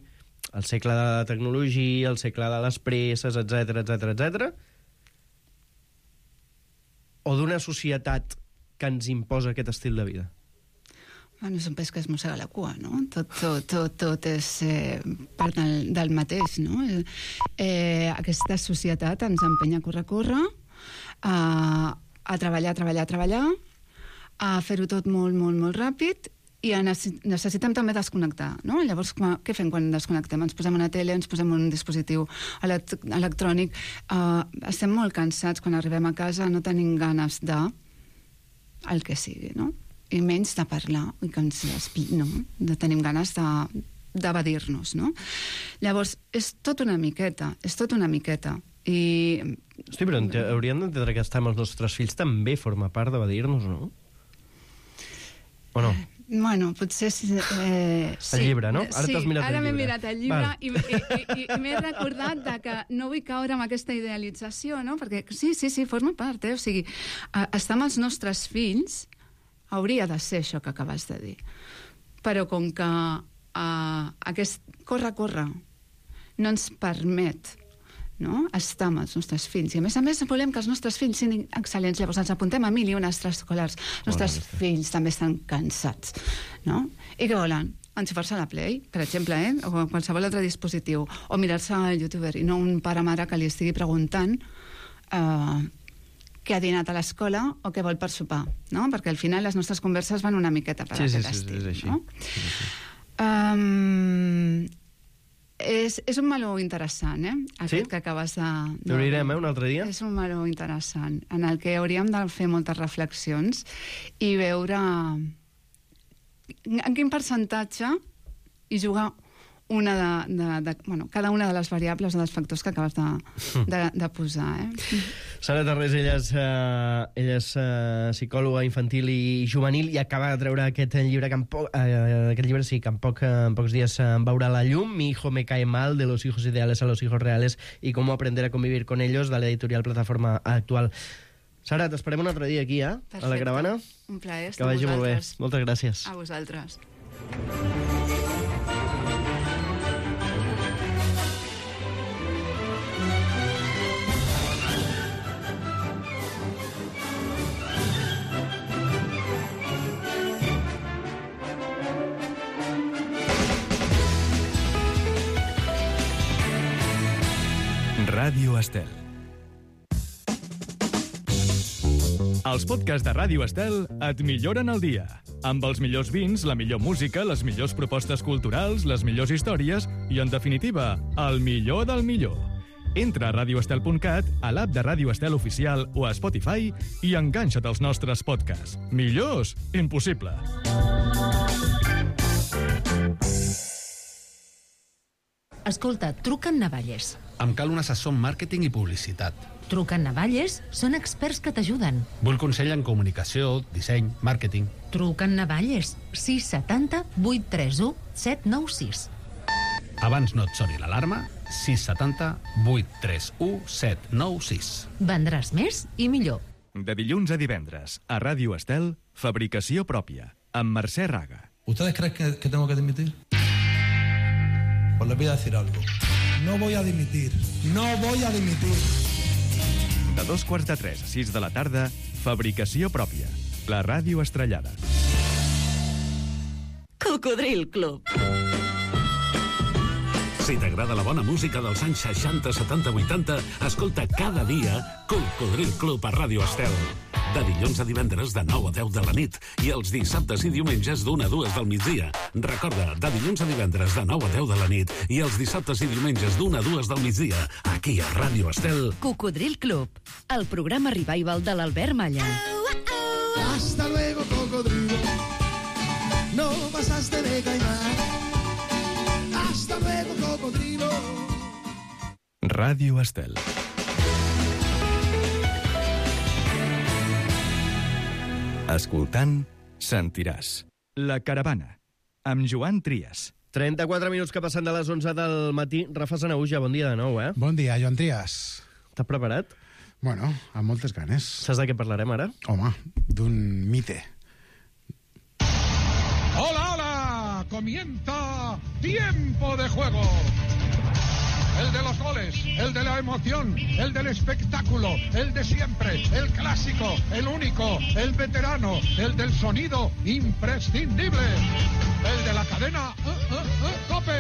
el segle de la tecnologia, el segle de les presses, etcètera, etcètera, etcètera, o d'una societat que ens imposa aquest estil de vida? Bueno, és un peix que es mossega la cua, no? Tot, tot, tot, tot és eh, part del, del mateix, no? Eh, aquesta societat ens empenya a córrer, a córrer, a, a treballar, treballar, treballar, a fer-ho tot molt, molt, molt ràpid, i necessitem també desconnectar, no? Llavors, què fem quan desconnectem? Ens posem una tele, ens posem un dispositiu electrònic, uh, estem molt cansats quan arribem a casa, no tenim ganes de el que sigui, no? I menys de parlar, i que ens no? De tenim ganes de d'evadir-nos, no? Llavors, és tot una miqueta, és tot una miqueta. I... Hosti, però hauríem d'entendre que estar amb els nostres fills també forma part d'evadir-nos, no? O no? Bueno, potser... Eh, sí. El llibre, no? Ara sí, t'has mirat ara el llibre. m'he mirat el llibre i, i, i, i m'he recordat de que no vull caure amb aquesta idealització, no? Perquè sí, sí, sí, forma part, eh? O sigui, estar amb els nostres fills hauria de ser això que acabes de dir. Però com que uh, aquest corre-corre no ens permet, no?, estar amb els nostres fills. I a més a més volem que els nostres fills siguin excel·lents. Llavors ens apuntem a mil i unes extraescolars. Els nostres oh, fills també estan cansats, no? I què volen? Enxufar-se a la Play, per exemple, eh? O qualsevol altre dispositiu. O mirar-se al youtuber i no un pare-mare que li estigui preguntant eh, què ha dinat a l'escola o què vol per sopar, no? Perquè al final les nostres converses van una miqueta per sí, aquest sí, sí, estil, és així. No? Sí, sí. Um, És, és un meló interessant, eh? Aquest sí? que acabes de... de... L'obrirem, eh, un altre dia? És un meló interessant, en el que hauríem de fer moltes reflexions i veure en quin percentatge i jugar una de, de, de, bueno, cada una de les variables o dels factors que acabes de, de, de posar. Eh? Sara Tarrés, ella és, uh, ella és uh, psicòloga infantil i juvenil i acaba de treure aquest llibre que en, po uh, aquest llibre sí, que en, poc, en pocs dies uh, veurà la llum, Mi hijo me cae mal, de los hijos ideales a los hijos reales y cómo aprender a convivir con ellos, de la editorial Plataforma Actual. Sara, t'esperem un altre dia aquí, eh? Perfecte. A la Caravana. Un plaer, que vagi molt bé. Moltes gràcies. A vosaltres. Ràdio Estel. Els podcasts de Ràdio Estel et milloren el dia. Amb els millors vins, la millor música, les millors propostes culturals, les millors històries i, en definitiva, el millor del millor. Entra a radio estel punt cat, a l'app de Ràdio Estel Oficial o a Spotify i enganxa't als nostres podcasts. Millors? Impossible. Escolta, truca en Navalles. Em cal un assessor en màrqueting i publicitat. Truca en Navalles, són experts que t'ajuden. Vull consell en comunicació, disseny, màrqueting. Truca en Navalles, sis setanta vuit tres u set nou sis. Abans no et soni l'alarma, sis setanta vuit tres u set nou sis. Vendràs més i millor. De dilluns a divendres, a Ràdio Estel, fabricació pròpia, amb Mercè Raga. ¿Ustedes creen que, que tengo que dimitir? Pues les voy a decir algo. No voy a dimitir. No voy a dimitir. De dos quarts de tres a sis de la tarda, fabricació pròpia. La ràdio estrellada. Cocodril Club. Si t'agrada la bona música dels anys seixanta, setanta, vuitanta, escolta cada dia Cocodril Club a Ràdio Estel. De dilluns a divendres de nou a deu de la nit i els dissabtes i diumenges d'una a dues del migdia. Recorda, de dilluns a divendres de nou a deu de la nit i els dissabtes i diumenges d'una a dues del migdia, aquí a Ràdio Estel. Cocodril Club, el programa revival de l'Albert Malla. Hasta luego, cocodrilo. No pasaste de caimán. Hasta luego, cocodrilo. Ràdio Estel. Escoltant, sentiràs. La Caravana, amb Joan Trias. trenta-quatre minuts que passen de les onze del matí. Rafa Sanahuja, bon dia de nou, eh? Bon dia, Joan Trias. T'has preparat? Bueno, amb moltes ganes. Saps de què parlarem ara? Home, d'un mite. ¡Hola, hola! ¡Comienza Tiempo de Juego! el de los goles, el de la emoción, el del espectáculo, el de siempre, el clásico, el único, el veterano, el del sonido imprescindible, el de la cadena uh, uh, uh, COPE.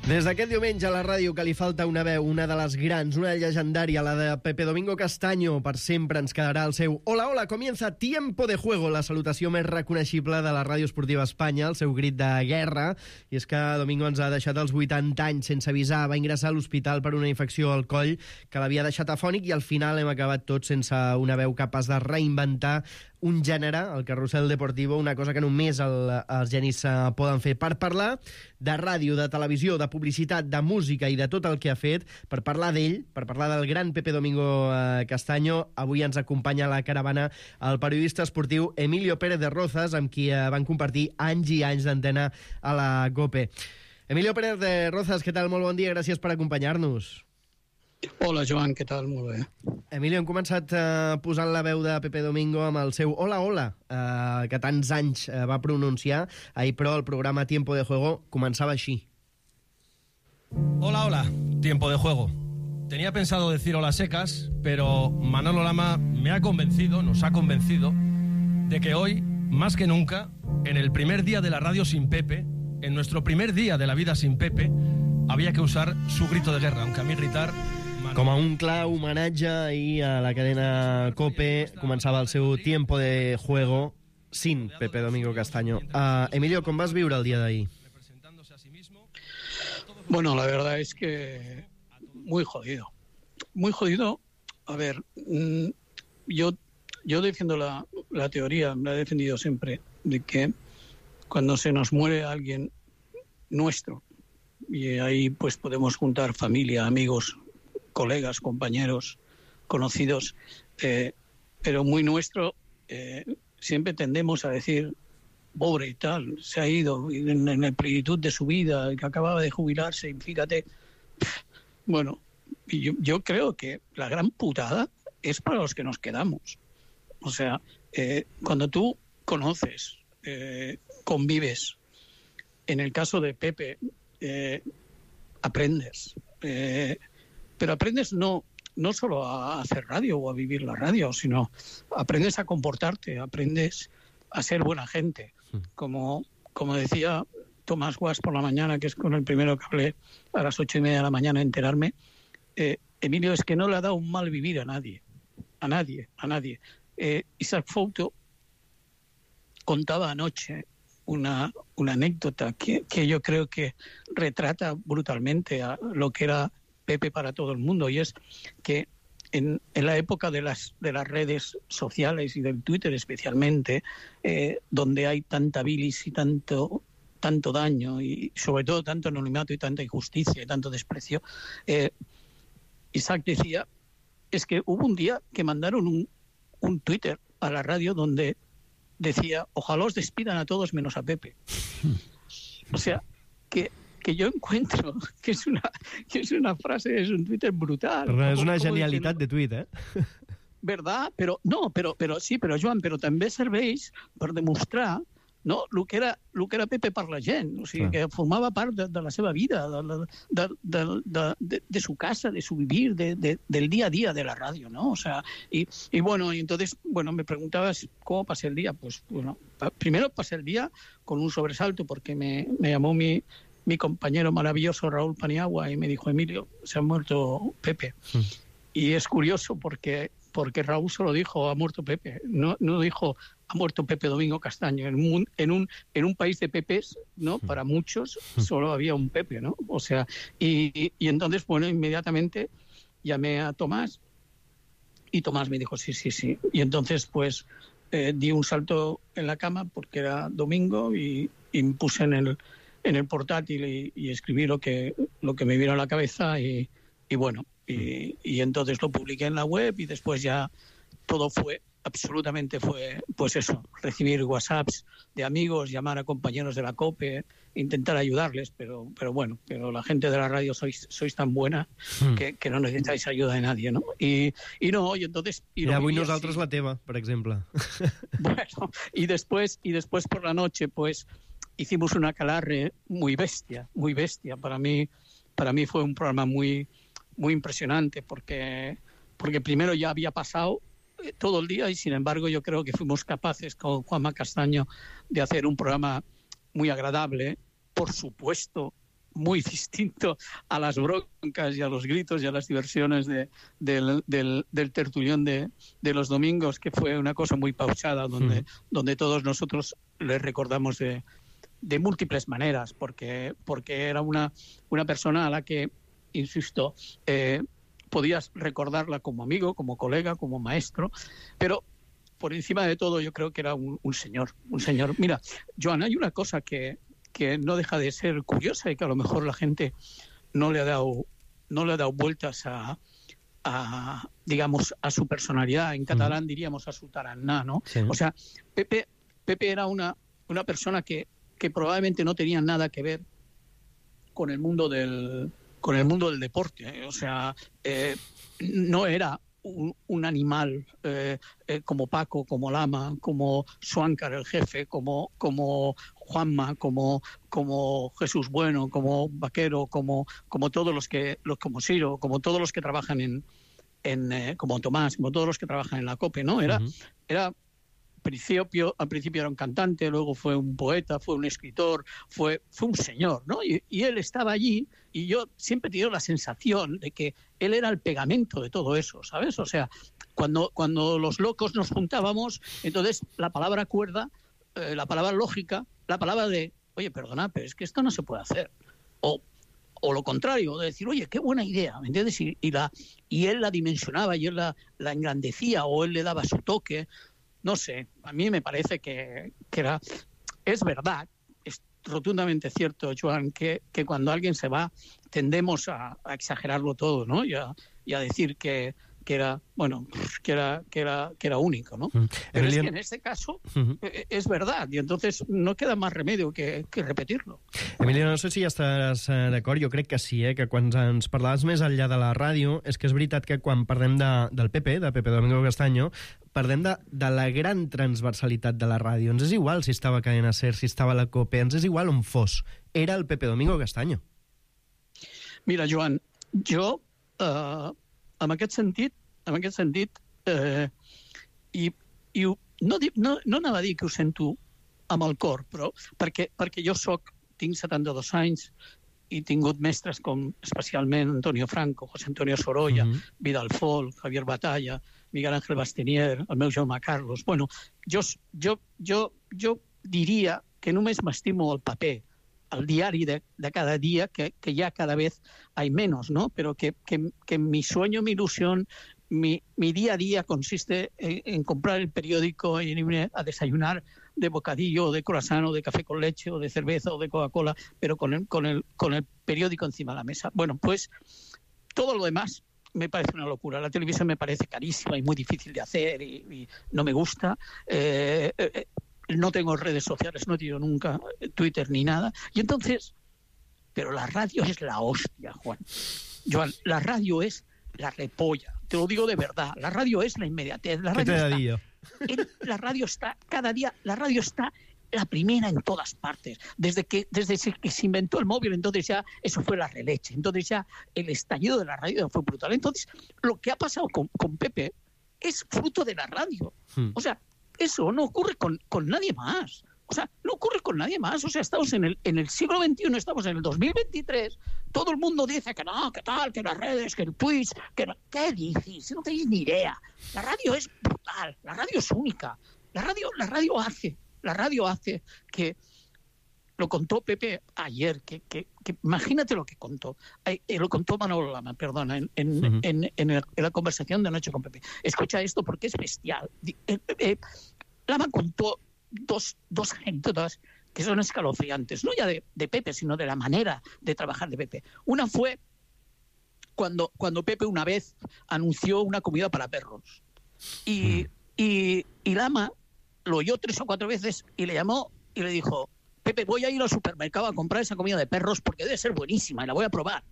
Des d'aquest diumenge a la ràdio que li falta una veu, una de les grans, una llegendària, la de Pepe Domingo Castaño. Per sempre ens quedarà el seu Hola, hola, comienza Tiempo de Juego, la salutació més reconeixible de la ràdio esportiva a Espanya, el seu crit de guerra. I és que Domingo ens ha deixat als vuitanta anys sense avisar, va ingressar a l'hospital per una infecció al coll que l'havia deixat afònic i al final hem acabat tots sense una veu capaç de reinventar un gènere, el carrusel deportivo, una cosa que només el, els genis uh, poden fer. Per parlar de ràdio, de televisió, de publicitat, de música i de tot el que ha fet, per parlar d'ell, per parlar del gran Pepe Domingo uh, Castaño, avui ens acompanya a la caravana el periodista esportiu Emilio Pérez de Rozas, amb qui uh, van compartir anys i anys d'antena a la COPE. Emilio Pérez de Rozas, què tal? Molt bon dia, gràcies per acompanyar-nos. Hola, Joan, què tal? Molt bé. Emilio, hem començat uh, posant la veu de Pepe Domingo amb el seu Hola, hola, uh, que tants anys uh, va pronunciar. Ahir, però, el programa Tiempo de Juego començava així. Hola, hola, Tiempo de Juego. Tenía pensado decir hola secas, pero Manolo Lama me ha convencido, nos ha convencido, de que hoy, más que nunca, en el primer día de la radio sin Pepe, en nuestro primer día de la vida sin Pepe, había que usar su grito de guerra, aunque a mí gritar... Com a un clar homenatge, ahir a la cadena COPE començava el seu Tiempo de Juego sin Pepe Domingo Castaño. Uh, Emilio, com vas viure el dia d'ahir? Bueno, la verdad es que muy jodido. Muy jodido. A ver, yo, yo defiendo la, la teoría, la he defendido siempre, de que cuando se nos muere alguien nuestro, y ahí pues podemos juntar familia, amigos, colegas, compañeros, conocidos, eh, pero muy nuestro, eh, siempre tendemos a decir, pobre y tal, se ha ido en, en la plenitud de su vida, que acababa de jubilarse, y fíjate, bueno, yo, yo creo que la gran putada es para los que nos quedamos. O sea, eh, cuando tú conoces, eh, convives, en el caso de Pepe, eh, aprendes, eh, pero aprendes no, no solo a hacer radio o a vivir la radio, sino aprendes a comportarte, aprendes a ser buena gente. Como, como decía Tomás Guas por la mañana, que es con el primero que hablé a las ocho y media de la mañana a enterarme, eh, Emilio, es que no le ha dado un mal vivir a nadie, a nadie, a nadie. Eh, Isaac Fouto contaba anoche una, una anécdota que, que yo creo que retrata brutalmente a lo que era Pepe para todo el mundo, y es que en, en la época de las, de las redes sociales y del Twitter especialmente, eh, donde hay tanta bilis y tanto, tanto daño y sobre todo tanto anonimato y tanta injusticia y tanto desprecio, eh, Isaac decía, es que hubo un día que mandaron un, un Twitter a la radio donde decía, ojalá os despidan a todos menos a Pepe. O sea, que que yo encuentro que es una, que es una frase, es un Twitter brutal. Però és una genialitat de tuit, eh? ¿Verdad? Però, no, però, però sí, però Joan, però també serveix per demostrar, no, el que era, el que era Pepe per la gent, o sigui, que formava part de, de la seva vida, de, de, de, de, de, de su casa, de su vivir, de, de, del día a día de la radio, ¿no? O sea, y, y bueno, y entonces, bueno, me preguntabas cómo pasé el día. Pues, bueno, pa, primero pasé el día con un sobresalto porque me, me llamó mi mi compañero maravilloso Raúl Paniagua y me dijo, Emilio, se ha muerto Pepe. Mm. Y es curioso porque, porque Raúl solo dijo, ha muerto Pepe, no, no dijo, ha muerto Pepe Domingo Castaño. En un, en un, en un país de Pepes, ¿no? Mm. Para muchos solo había un Pepe, ¿no? O sea, y, y entonces, bueno, inmediatamente llamé a Tomás y Tomás me dijo, sí, sí, sí. Y entonces, pues, eh, di un salto en la cama porque era domingo y, y me puse en el en el portátil y, y escribí lo que lo que me vino a la cabeza y, y bueno, y, y entonces lo publiqué en la web y después ya todo fue, absolutamente fue, pues eso, recibir WhatsApps de amigos, llamar a compañeros de la COPE, intentar ayudarles, pero pero bueno, pero la gente de la radio sois sois tan buena mm. que, que no necesitáis ayuda de nadie, ¿no? Y, y no, y entonces... Y, y avui nosaltres la teva, per exemple. Bueno, y después, y después por la noche, pues... hicimos una calarre muy bestia, muy bestia. Para mí, para mí fue un programa muy, muy impresionante porque, porque primero ya había pasado todo el día y sin embargo yo creo que fuimos capaces con Juanma Castaño de hacer un programa muy agradable, por supuesto muy distinto a las broncas y a los gritos y a las diversiones de, del, del, del tertulión de, de los domingos, que fue una cosa muy pausada donde, mm. donde todos nosotros le recordamos de, de múltiples maneras, porque, porque era una, una persona a la que, insisto, eh, podías recordarla como amigo, como colega, como maestro, pero por encima de todo yo creo que era un, un señor, un señor. Mira, Joan, hay una cosa que, que no deja de ser curiosa y que a lo mejor la gente no le ha dado, no le ha dado vueltas a, a digamos, a su personalidad. En catalán diríamos a su tarannà, ¿no? Sí. O sea, Pepe, Pepe era una, una persona que, que probablemente no tenía nada que ver con el mundo del con el mundo del deporte, ¿eh? O sea, eh, no era un, un animal eh, eh, como Paco, como Lama, como Suáncar el jefe, como, como Juanma, como, como Jesús Bueno, como Vaquero, como, como todos los que, los, como Siro, como todos los que trabajan en, en eh, como Tomás, como todos los que trabajan en la COPE, ¿no? Era, uh-huh. era principio, al principio era un cantante, luego fue un poeta, fue un escritor, fue, fue un señor, ¿no? Y, y él estaba allí y yo siempre he tenido la sensación de que él era el pegamento de todo eso, ¿sabes? O sea, cuando, cuando los locos nos juntábamos, entonces la palabra cuerda, eh, la palabra lógica, la palabra de, oye, perdona, pero es que esto no se puede hacer. O, o lo contrario, de decir, oye, qué buena idea, ¿me entiendes? Y, y, la, y él la dimensionaba y él la, la engrandecía o él le daba su toque. No sé, a mí me parece que, que era... Es verdad, es rotundamente cierto, Joan, que, que cuando alguien se va tendemos a, a exagerarlo todo, ¿no? Y a, y a decir que, que era, bueno, que era, que era, que era único, ¿no? Mm. Pero Emiliano... es que en este caso uh-huh. es verdad, y entonces no queda más remedio que, que repetirlo. Emiliano, no sé si ja estaràs d'acord, jo crec que sí, eh? Que quan ens parlaves més enllà de la ràdio, és que és veritat que quan parlem de, del Pepe, de Pepe Domingo Castaño, parlem de, de la gran transversalitat de la ràdio. Ens és igual si estava a Cadena Ser, si estava a la COPE, ens és igual on fos. Era el Pepe Domingo Castaño. Mira, Joan, jo, eh, en aquest sentit, en aquest sentit, eh, i, i no, no, no anava a dir que ho sento amb el cor, però perquè, perquè jo soc, tinc setanta-dos anys i he tingut mestres com especialment Antonio Franco, José Antonio Sorolla, mm-hmm. Vidal Folk, Javier Batalla, Miguel Ángel Bastenier, el meu Jaume Carlos. Bueno, jo, jo, jo, jo diria que només m'estimo el paper, el diari de, de cada día, que, que ya cada vez hay menos, ¿no? Pero que, que, que mi sueño, mi ilusión, mi, mi día a día consiste en, en comprar el periódico y en irme a desayunar de bocadillo, o de croissant, o de café con leche, o de cerveza, o de Coca-Cola, pero con el, con el, con el periódico encima de la mesa. Bueno, pues todo lo demás me parece una locura. La televisión me parece carísima y muy difícil de hacer y, y no me gusta. Eh, eh, no tengo redes sociales, no he tenido nunca Twitter ni nada. Y entonces, pero la radio es la hostia, Juan. Joan, la radio es la repolla. Te lo digo de verdad. La radio es la inmediatez. La radio ¿Qué te está, da yo? en, la radio está cada día, la radio está la primera en todas partes. Desde que, desde que se inventó el móvil, entonces ya eso fue la releche. Entonces ya el estallido de la radio fue brutal. Entonces, lo que ha pasado con, con Pepe es fruto de la radio. Hmm. O sea, eso no ocurre con, con nadie más. O sea, no ocurre con nadie más. O sea, estamos en el, en el siglo veintiuno, estamos en el dos mil veintitrés. Todo el mundo dice que no, que tal, que las redes, que el Twitch, que no. ¿Qué dices? No tenéis ni idea. La radio es brutal, la radio es única. La radio, la radio hace, la radio hace que... Lo contó Pepe ayer, que, que, que imagínate lo que contó. Eh, lo contó Manolo Lama, perdona, en, en, uh-huh. en, en, el, en la conversación de anoche con Pepe. Escucha esto porque es bestial. Eh, eh, Lama contó dos, dos anécdotas que son escalofriantes, no ya de, de Pepe, sino de la manera de trabajar de Pepe. Una fue cuando, cuando Pepe una vez anunció una comida para perros. Y, uh-huh. y, y Lama lo oyó tres o cuatro veces y le llamó y le dijo: Pepe, voy a ir al supermercado a comprar esa comida de perros porque debe ser buenísima y la voy a probar.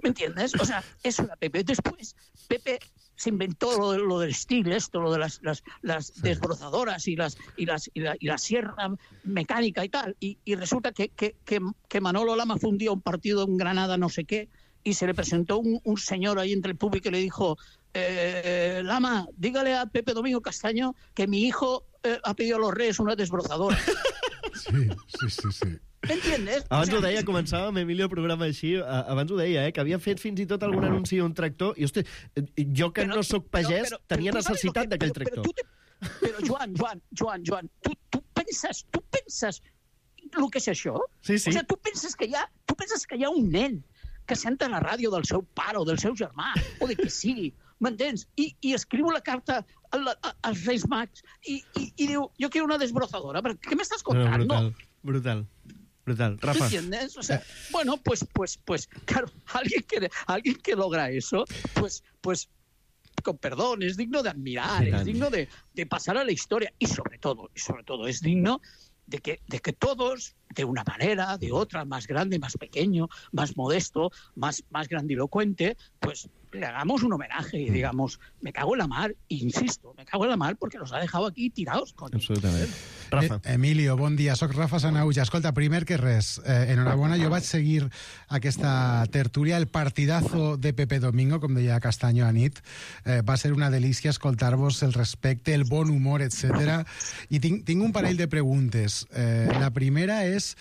¿Me entiendes? O sea, eso era Pepe. Después, Pepe se inventó lo, lo del steel, esto, lo de las, las, las sí. desbrozadoras y, las, y, las, y, la, y la sierra mecánica y tal. Y, y resulta que, que, que, que Manolo Lama fue un día un partido en Granada, no sé qué, y se le presentó un, un señor ahí entre el público y le dijo, eh, Lama, dígale a Pepe Domingo Castaño que mi hijo eh, ha pedido a los Reyes una desbrozadora. Sí, sí, sí, sí. M'entiendes? Abans o sea, ho deia, començàvem, Emilio, el programa així, abans ho deia, eh, que havia fet fins i tot algun anunci d'un tractor, i hosti, jo que però, no sóc pagès, però, però, tenia però, necessitat però, d'aquell però, tractor. Però, però, te, però Joan, Joan, Joan, Joan, tu, tu penses, tu penses el que és això? Sí, sí. O sigui, tu penses que hi ha, tu penses que hi ha un nen que senta la ràdio del seu pare o del seu germà, o de qui sigui, m'entens? I, i escriu la carta a la, a, als Reis Mags i, i, i diu, jo quiero una desbrozadora, però què m'estàs contant? No, brutal, brutal. Brutal. Rafa. ¿Entiendes? O sea, bueno, pues, pues, pues, claro, alguien que, alguien que logra eso, pues, pues, con perdón, es digno de admirar, es digno de, de pasar a la historia y sobre todo, y sobre todo, es digno de que, de que todos, de una manera, de otra, más grande, más pequeño, más modesto, más, más grandilocuente, pues le hagamos un homenaje y digamos, me cago en la mar, e insisto, me cago en la mar porque los ha dejado aquí tirados. Coño. Absolutament. Rafa. Eh, Emilio, bon dia, soc Rafa Sanauja. Escolta, primer que res, eh, enhorabona, jo vaig seguir aquesta tertúlia, el partidazo de Pepe Domingo, com deia Castaño a nit, eh, va ser una delícia escoltar-vos el respecte, el bon humor, etcètera. I tinc, tinc un parell de preguntes. Eh, la primera és,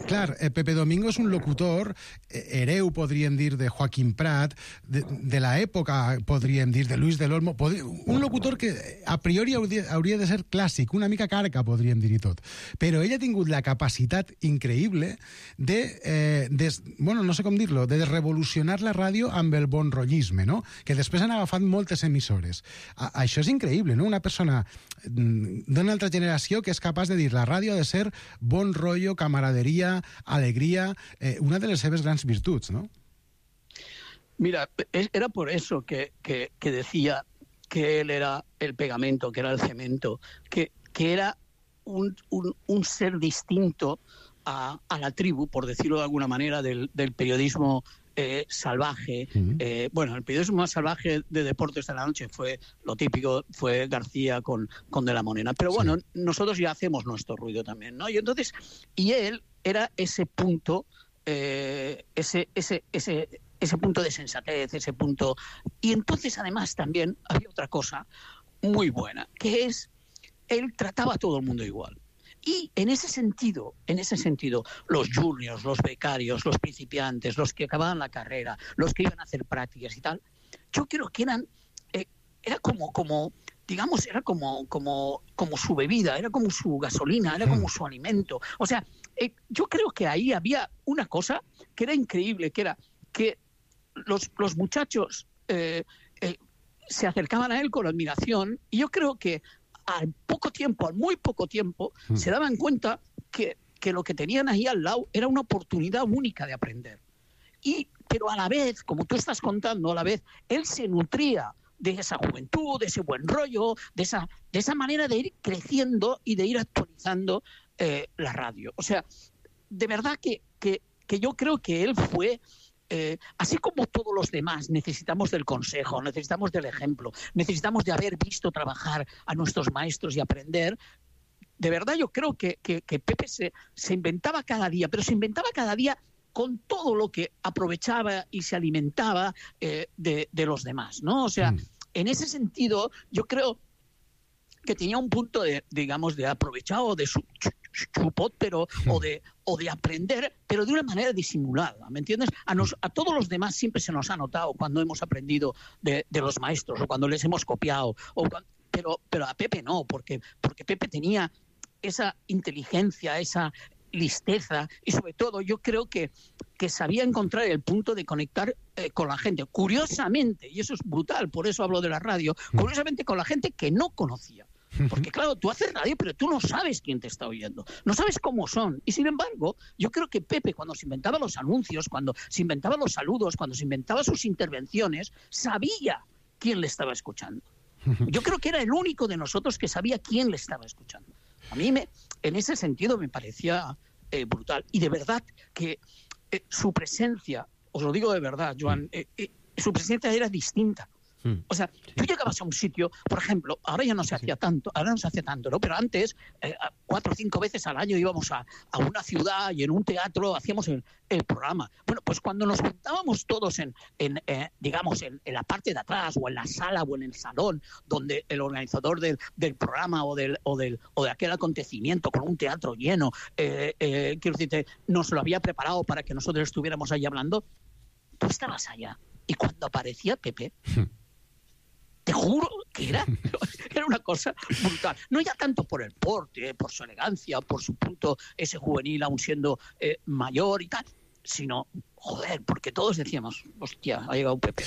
clar, eh, Pepe Domingo és un locutor, eh, hereu, podríem dir, de Joaquim Prat, de, de l'època, podríem dir, de Luis del Olmo, podri... un locutor que a priori hauria, hauria de ser clàssic, una mica carca, podríem dir i tot. Però ell ha tingut la capacitat increïble de, eh, de bueno, no sé com dir-lo, de revolucionar la ràdio amb el bon rotllisme, no? Que després han agafat moltes emissores. A, això és increïble, no? Una persona d'una altra generació que és capaç de dir la ràdio ha de ser bon rotllo, camaraderia, alegria, eh, una de les seves grans virtuts, ¿no? Mira, era por eso que, que, que decía que él era el pegamento, que era el cemento, que, que era un, un, un ser distinto a, a la tribu, por decirlo de alguna manera, del, del periodismo eh, salvaje. Uh-huh. Eh, bueno, el periodismo más salvaje de deportes de la noche fue lo típico, fue García con, con De la Morena. Pero bueno, sí, nosotros ya hacemos nuestro ruido también, ¿no? Y entonces, y él era ese punto, eh, ese, ese, ese, ese punto de sensatez, ese punto... Y entonces, además, también había otra cosa muy buena, que es, él trataba a todo el mundo igual. Y en ese sentido, en ese sentido, los juniors, los becarios, los principiantes, los que acababan la carrera, los que iban a hacer prácticas y tal, yo creo que eran, eh, era como, como, digamos, era como, como, como su bebida, era como su gasolina, era como su alimento. O sea, eh, yo creo que ahí había una cosa que era increíble, que era que los, los muchachos eh, eh, se acercaban a él con admiración, y yo creo que al poco tiempo, al muy poco tiempo, mm. se daban cuenta que, que lo que tenían ahí al lado era una oportunidad única de aprender. Y, pero a la vez, como tú estás contando, a la vez, él se nutría de esa juventud, de ese buen rollo, de esa, de esa manera de ir creciendo y de ir actualizando eh, la radio. O sea, de verdad que, que, que yo creo que él fue... Eh, así como todos los demás necesitamos del consejo, necesitamos del ejemplo, necesitamos de haber visto trabajar a nuestros maestros y aprender, de verdad yo creo que, que, que Pepe se, se inventaba cada día, pero se inventaba cada día con todo lo que aprovechaba y se alimentaba eh, de, de los demás, ¿no? O sea, mm. en ese sentido yo creo que tenía un punto de, digamos, de aprovechado de su chupot, pero, o, de, o de aprender, pero de una manera disimulada, ¿me entiendes? A, nos, a todos los demás siempre se nos ha notado cuando hemos aprendido de, de los maestros o cuando les hemos copiado, o cuando, pero, pero a Pepe no, porque, porque Pepe tenía esa inteligencia, esa listeza, y sobre todo yo creo que, que sabía encontrar el punto de conectar eh, con la gente. Curiosamente, y eso es brutal, por eso hablo de la radio, curiosamente con la gente que no conocía. Porque claro, tú haces radio, pero tú no sabes quién te está oyendo, no sabes cómo son. Y sin embargo, yo creo que Pepe, cuando se inventaba los anuncios, cuando se inventaba los saludos, cuando se inventaba sus intervenciones, sabía quién le estaba escuchando. Yo creo que era el único de nosotros que sabía quién le estaba escuchando. A mí, me, en ese sentido, me parecía eh, brutal. Y de verdad que eh, su presencia, os lo digo de verdad, Joan, eh, eh, su presencia era distinta. Mm. O sea, sí. Tú llegabas a un sitio, por ejemplo, ahora ya no se hacía sí. tanto, ahora no se hace tanto, ¿no? Pero antes, eh, cuatro o cinco veces al año íbamos a, a una ciudad y en un teatro hacíamos el, el programa. Bueno, pues cuando nos juntábamos todos en, en eh, digamos, en, en la parte de atrás o en la sala o en el salón, donde el organizador del, del programa o del, o, del, o de aquel acontecimiento con un teatro lleno, eh, eh, quiero decirte, nos lo había preparado para que nosotros estuviéramos ahí hablando, tú estabas allá. Y cuando aparecía Pepe... Te juro que era, era una cosa brutal. No ya tanto por el porte, por su elegancia, por su punto ese juvenil aún siendo eh, mayor y tal, sino, joder, porque todos decíamos, hostia, ha llegado Pepe.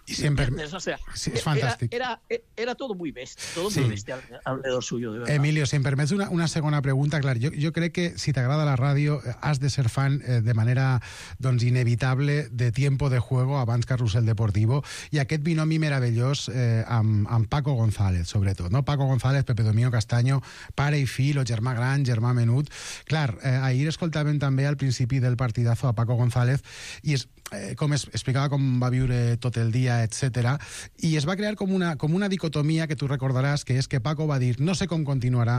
Y siempre... O sea, sí, és fantàstic. Era, era, era todo muy bestia, todo sí. muy bestia alrededor suyo, de verdad. Emilio, si em permets una, una segona pregunta, clar, jo, jo crec que si t'agrada la ràdio has de ser fan eh, de manera doncs, inevitable de Tiempo de Juego abans Carrusel Deportivo i aquest binomi meravellós eh, amb, amb Paco González, sobretot, no? Paco González, Pepe Domingo Castaño, pare i fill, o germà gran, germà menut. Clar, eh, ahir escoltàvem també al principi del partidazo a Paco González i és Eh, com es, explicava com va viure tot el dia, etcètera. I es va crear com una, com una dicotomia que tu recordaràs, que és que Paco va dir no sé com continuarà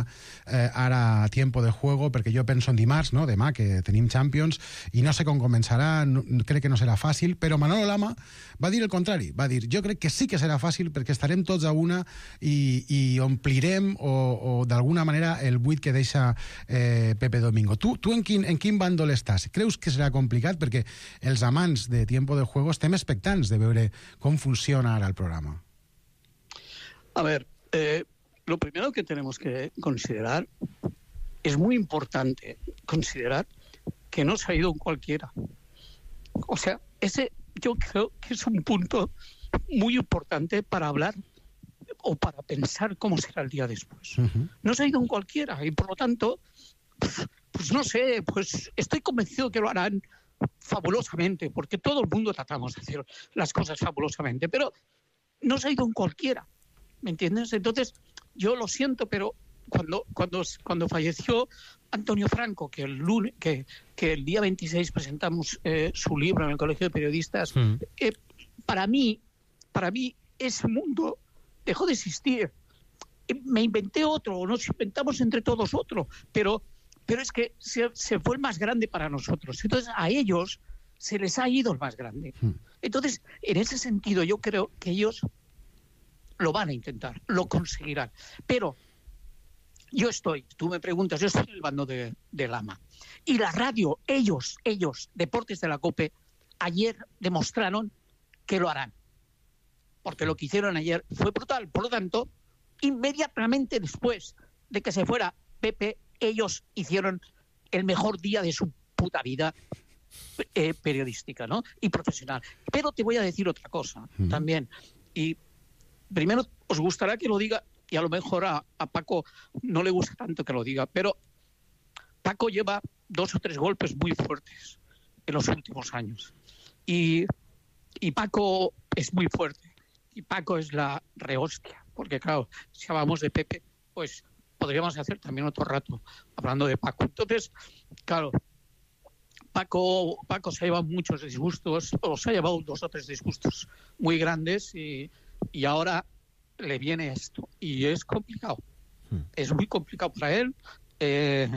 eh, ara Tiempo de Juego, perquè jo penso en dimarts, no? Demà, que tenim Champions, i no sé com començarà, no, crec que no serà fàcil, però Manolo Lama va dir el contrari, va dir jo crec que sí que serà fàcil perquè estarem tots a una i, i omplirem o, o d'alguna manera el buit que deixa eh, Pepe Domingo. Tu, tu en, quin, en quin bàndol estàs? Creus que serà complicat? Perquè els amants de Tiempo de Juego estem expectants de veure com funciona ahora el programa. A ver, eh, lo primero que tenemos que considerar, es muy importante considerar que no se ha ido cualquiera. O sea, ese yo creo que es un punto muy importante para hablar o para pensar cómo será el día después. Uh-huh. No se ha ido un cualquiera y por lo tanto, pues, pues no sé, pues estoy convencido que lo harán fabulosamente, porque todo el mundo tratamos de hacer las cosas fabulosamente, pero no se ha ido en cualquiera, ¿me entiendes? Entonces, yo lo siento, pero cuando cuando cuando falleció Antonio Franco, que el lunes, que, que el día veintiséis presentamos eh, su libro en el Colegio de Periodistas, mm. eh, para mí, para mí ese mundo dejó de existir. Me inventé otro, nos inventamos entre todos otro, pero Pero es que se, se fue el más grande para nosotros. Entonces, a ellos se les ha ido el más grande. Entonces, en ese sentido, yo creo que ellos lo van a intentar, lo conseguirán. Pero yo estoy, tú me preguntas, yo estoy en el bando de, de Lama. Y la radio, ellos, ellos, Deportes de la COPE, ayer demostraron que lo harán. Porque lo que hicieron ayer fue brutal. Por lo tanto, inmediatamente después de que se fuera Pepe, ellos hicieron el mejor día de su puta vida eh, periodística, ¿no? Y profesional. Pero te voy a decir otra cosa mm. también. Y primero os gustará que lo diga, y a lo mejor a, a Paco no le gusta tanto que lo diga, pero Paco lleva dos o tres golpes muy fuertes en los últimos años. Y, y Paco es muy fuerte. Y Paco es la rehostia. Porque claro, si hablamos de Pepe, pues podríamos hacer también otro rato hablando de Paco. Entonces, claro, Paco, Paco se ha llevado muchos disgustos, o se ha llevado dos o tres disgustos muy grandes y, y ahora le viene esto. Y es complicado. Hmm. Es muy complicado para él. Eh,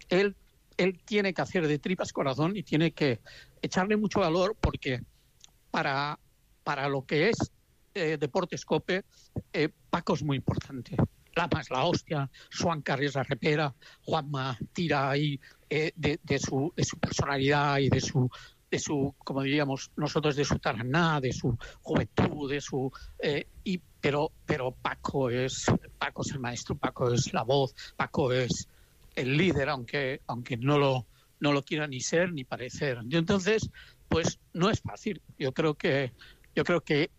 él. Él tiene que hacer de tripas corazón y tiene que echarle mucho valor porque para, para lo que es eh, Deportes COPE, eh, Paco es muy importante. Lama es la hostia, Joan Carri es la repera, Juanma tira ahí eh, de, de, su, de su personalidad y de su, de su, como diríamos nosotros, de su taraná, de su juventud, de su... Eh, y, pero, pero Paco es, Paco es el maestro, Paco es la voz, Paco es el líder, aunque, aunque no lo, no lo quiera ni ser ni parecer. Y entonces, pues no es fácil. Yo creo que, yo creo que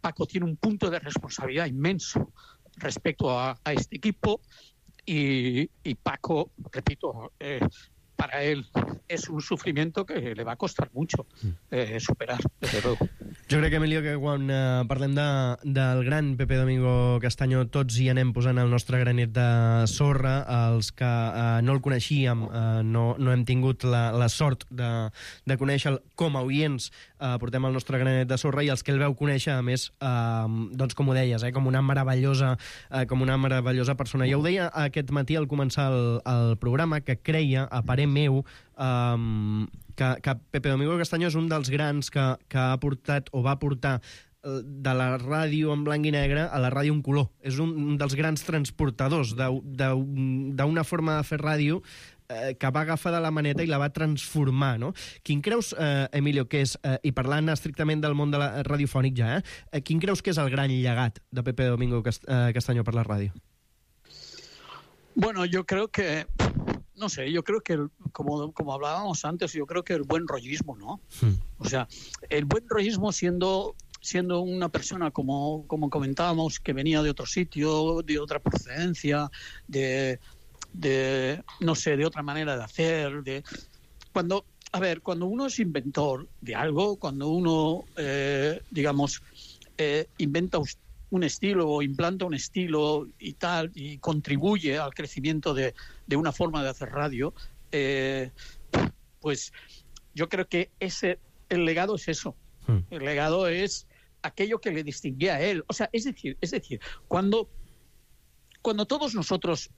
Paco tiene un punto de responsabilidad inmenso respecto a, a este equipo y, y Paco, repito, eh, para él es un sufrimiento que le va a costar mucho eh, superar, desde luego. Jo crec, Emilio, que quan eh, parlem de, del gran Pepe Domingo Castaño tots hi anem posant el nostre granet de sorra. Els que eh, no el coneixíem, eh, no, no hem tingut la, la sort de, de conèixer-lo com a oients, eh, portem el nostre granet de sorra, i els que el veu conèixer, a més, eh, doncs com ho deies, eh, com una meravellosa eh, com una meravellosa persona. Ja ho deia aquest matí al començar el, el programa, que creia, a parer meu, eh, que, que Pepe Domingo Castaño és un dels grans que, que ha portat o va portar de la ràdio en blanc i negre a la ràdio en color. És un dels grans transportadors d'una forma de fer ràdio eh, que va agafar de la maneta i la va transformar, no? Quin creus, eh, Emilio, que és, eh, i parlant estrictament del món de la radiofònic ja, eh, quin creus que és el gran llegat de Pepe Domingo Castaño per la ràdio? Bueno, yo creo que, no sé, yo creo que, el, como, como hablábamos antes, yo creo que el buen rollismo, ¿no? Hmm. O sea, el buen rollismo siendo... siendo una persona, como, como comentábamos, que venía de otro sitio, de otra procedencia, de, de, no sé, de otra manera de hacer, de... Cuando, a ver, cuando uno es inventor de algo, cuando uno, eh, digamos, eh, inventa un estilo o implanta un estilo y tal, y contribuye al crecimiento de, de una forma de hacer radio, eh, pues yo creo que ese, el legado es eso. El legado es aquello que le distinguía a él. O sea, es decir, es decir, cuando, cuando todos nosotros,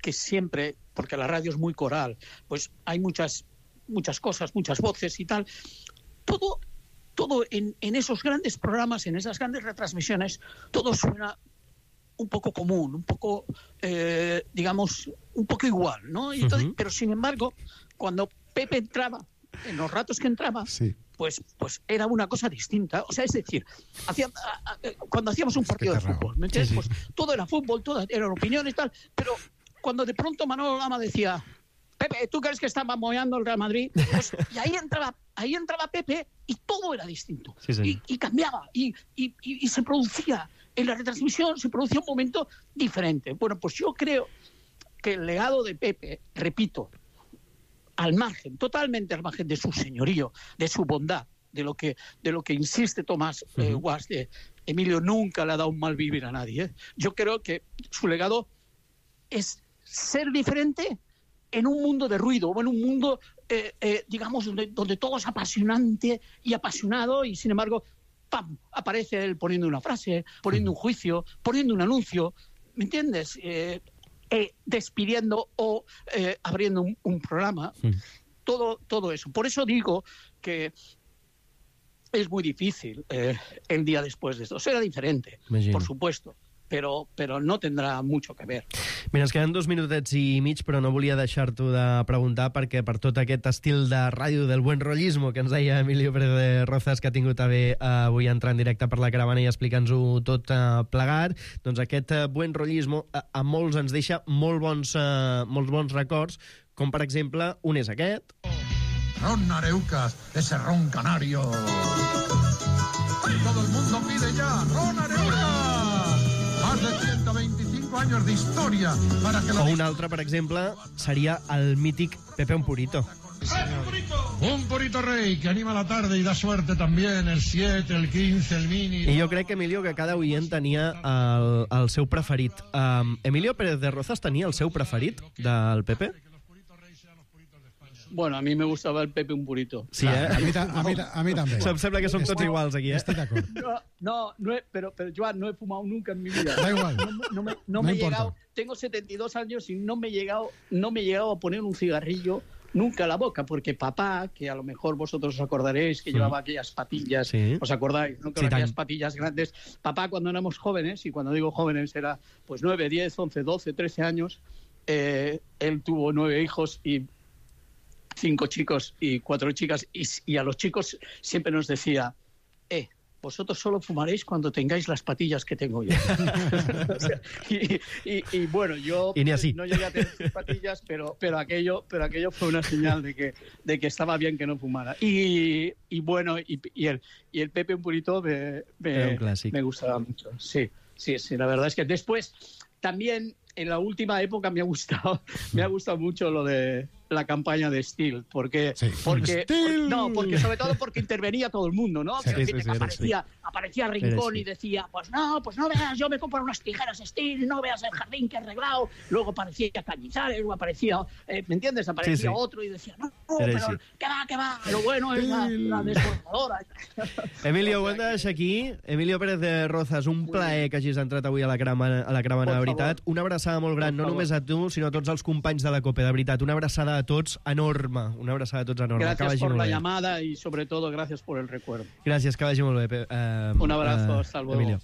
que siempre, porque la radio es muy coral, pues hay muchas, muchas cosas, muchas voces y tal, todo, todo en, en esos grandes programas, en esas grandes retransmisiones, todo suena un poco común, un poco, eh, digamos, un poco igual, ¿no? Y entonces, uh-huh. Pero sin embargo, cuando Pepe entraba, en los ratos que entraba, sí. Pues, pues era una cosa distinta. O sea, es decir, hacía, cuando hacíamos un partido de fútbol, ¿me entiendes? Sí, sí. Pues todo era fútbol, todo eran opiniones y tal, pero cuando de pronto Manolo Lama decía, Pepe, ¿tú crees que está mamoyando el Real Madrid? Pues, y ahí entraba, ahí entraba Pepe y todo era distinto. Sí, sí. Y, y cambiaba, y, y, y, y se producía, en la retransmisión se producía un momento diferente. Bueno, pues yo creo que el legado de Pepe, repito, al margen, totalmente al margen de su señorío, de su bondad, de lo que, de lo que insiste Tomás eh, uh-huh. Guas, de Emilio nunca le ha dado un mal vivir a nadie. ¿eh? Yo creo que su legado es ser diferente en un mundo de ruido, o en un mundo, eh, eh, digamos, donde, donde todo es apasionante y apasionado, y sin embargo, ¡pam!, aparece él poniendo una frase, poniendo un juicio, poniendo un anuncio, ¿me entiendes?, Eh, Eh, despidiendo o eh, abriendo un, un programa, sí. todo, todo eso. Por eso digo que es muy difícil eh, el día después de esto. Será diferente, Imagino. por supuesto, però, però no tindrà mucho que ver. Mira, ens queden dos minutets i mig, però no volia deixar-t'ho de preguntar, perquè per tot aquest estil de ràdio del buen rollismo que ens deia Emilio Pérez de Rozas, que ha tingut a bé uh, avui entrar en directe per la caravana i explicar-nos-ho tot uh, plegat, doncs aquest uh, buen rollismo uh, a molts ens deixa molt bons, uh, molts bons records, com per exemple un és aquest. Ron Areucas, ese ron canario. Todo el mundo pide ya Ron Areucas. Más de ciento veinticinco años de historia para que o un altre, per exemple, seria el mític Pepe un Purito. Un Purito Rey que anima la tarde y da suerte también, el siete, el quince, el mini... I jo crec, que Emilio, que cada oient tenia el, el seu preferit. Um, Emilio Pérez de Rozas tenia el seu preferit del Pepe? Bueno, a mí me gustaba el Pepe un Purito. Sí, eh? A mi, a mi, a mi també. Em sembla que som tots iguals aquí, eh? Estic d'acord. No, no, no he, pero, pero Joan, no he fumado nunca en mi vida. Da igual. No, no me, no No me he importa. llegado, tengo setenta y dos años y no me he llegado, no me he llegado a poner un cigarrillo nunca a la boca, porque papá, que a lo mejor vosotros os acordaréis que Sí. llevaba aquellas patillas, Sí. ¿os acordáis? ¿no? Con Sí, aquellas tant. patillas grandes. Papá, cuando éramos jóvenes, y cuando digo jóvenes era pues nueve, diez, once, doce, trece años, eh, él tuvo nueve hijos y cinco chicos y cuatro chicas, y, y a los chicos siempre nos decía, eh, vosotros solo fumaréis cuando tengáis las patillas que tengo yo. O sea, y, y, y bueno, yo Y ni así. no llegué a tener sus patillas, pero, pero, aquello, pero aquello fue una señal de que, de que estaba bien que no fumara. Y, y bueno, y, y, el, y el Pepe un Purito me, Era un me, clásico. me gustaba mucho. Sí, sí, sí, la verdad es que después... También en la última época me ha gustado, me ha gustado mucho lo de la campaña de Steel, porque, sí. porque Steel. no, porque sobre todo porque intervenía todo el mundo, ¿no? Sí, que, sí, sí, aparecía, sí. aparecía Rincón y decía, pues no, pues no veas, yo me compro unas tijeras Steel, no veas el jardín que he arreglado. Luego aparecía Cañizares, luego aparecía, eh, ¿me entiendes? Aparecía sí, sí. otro y decía, no, no pero sí. ¿qué va, qué va? Lo bueno es la, la desbordadora. Emilio, ho hem de deixar aquí. Emilio Pérez de Rozas, un plaer que hagis entrat avui a la Caravana, a la Caravana, de veritat. Una abraçada molt gran, no només a tu, sinó a tots els companys de la COPE, de veritat. Una abraçada a tots enorme. Una abraçada a tots enorme. Gracias por la llamada y sobre todo gracias por el recuerdo. Gràcies, que vagi molt bé. Uh, un abrazo, uh, hasta luego. Emilio.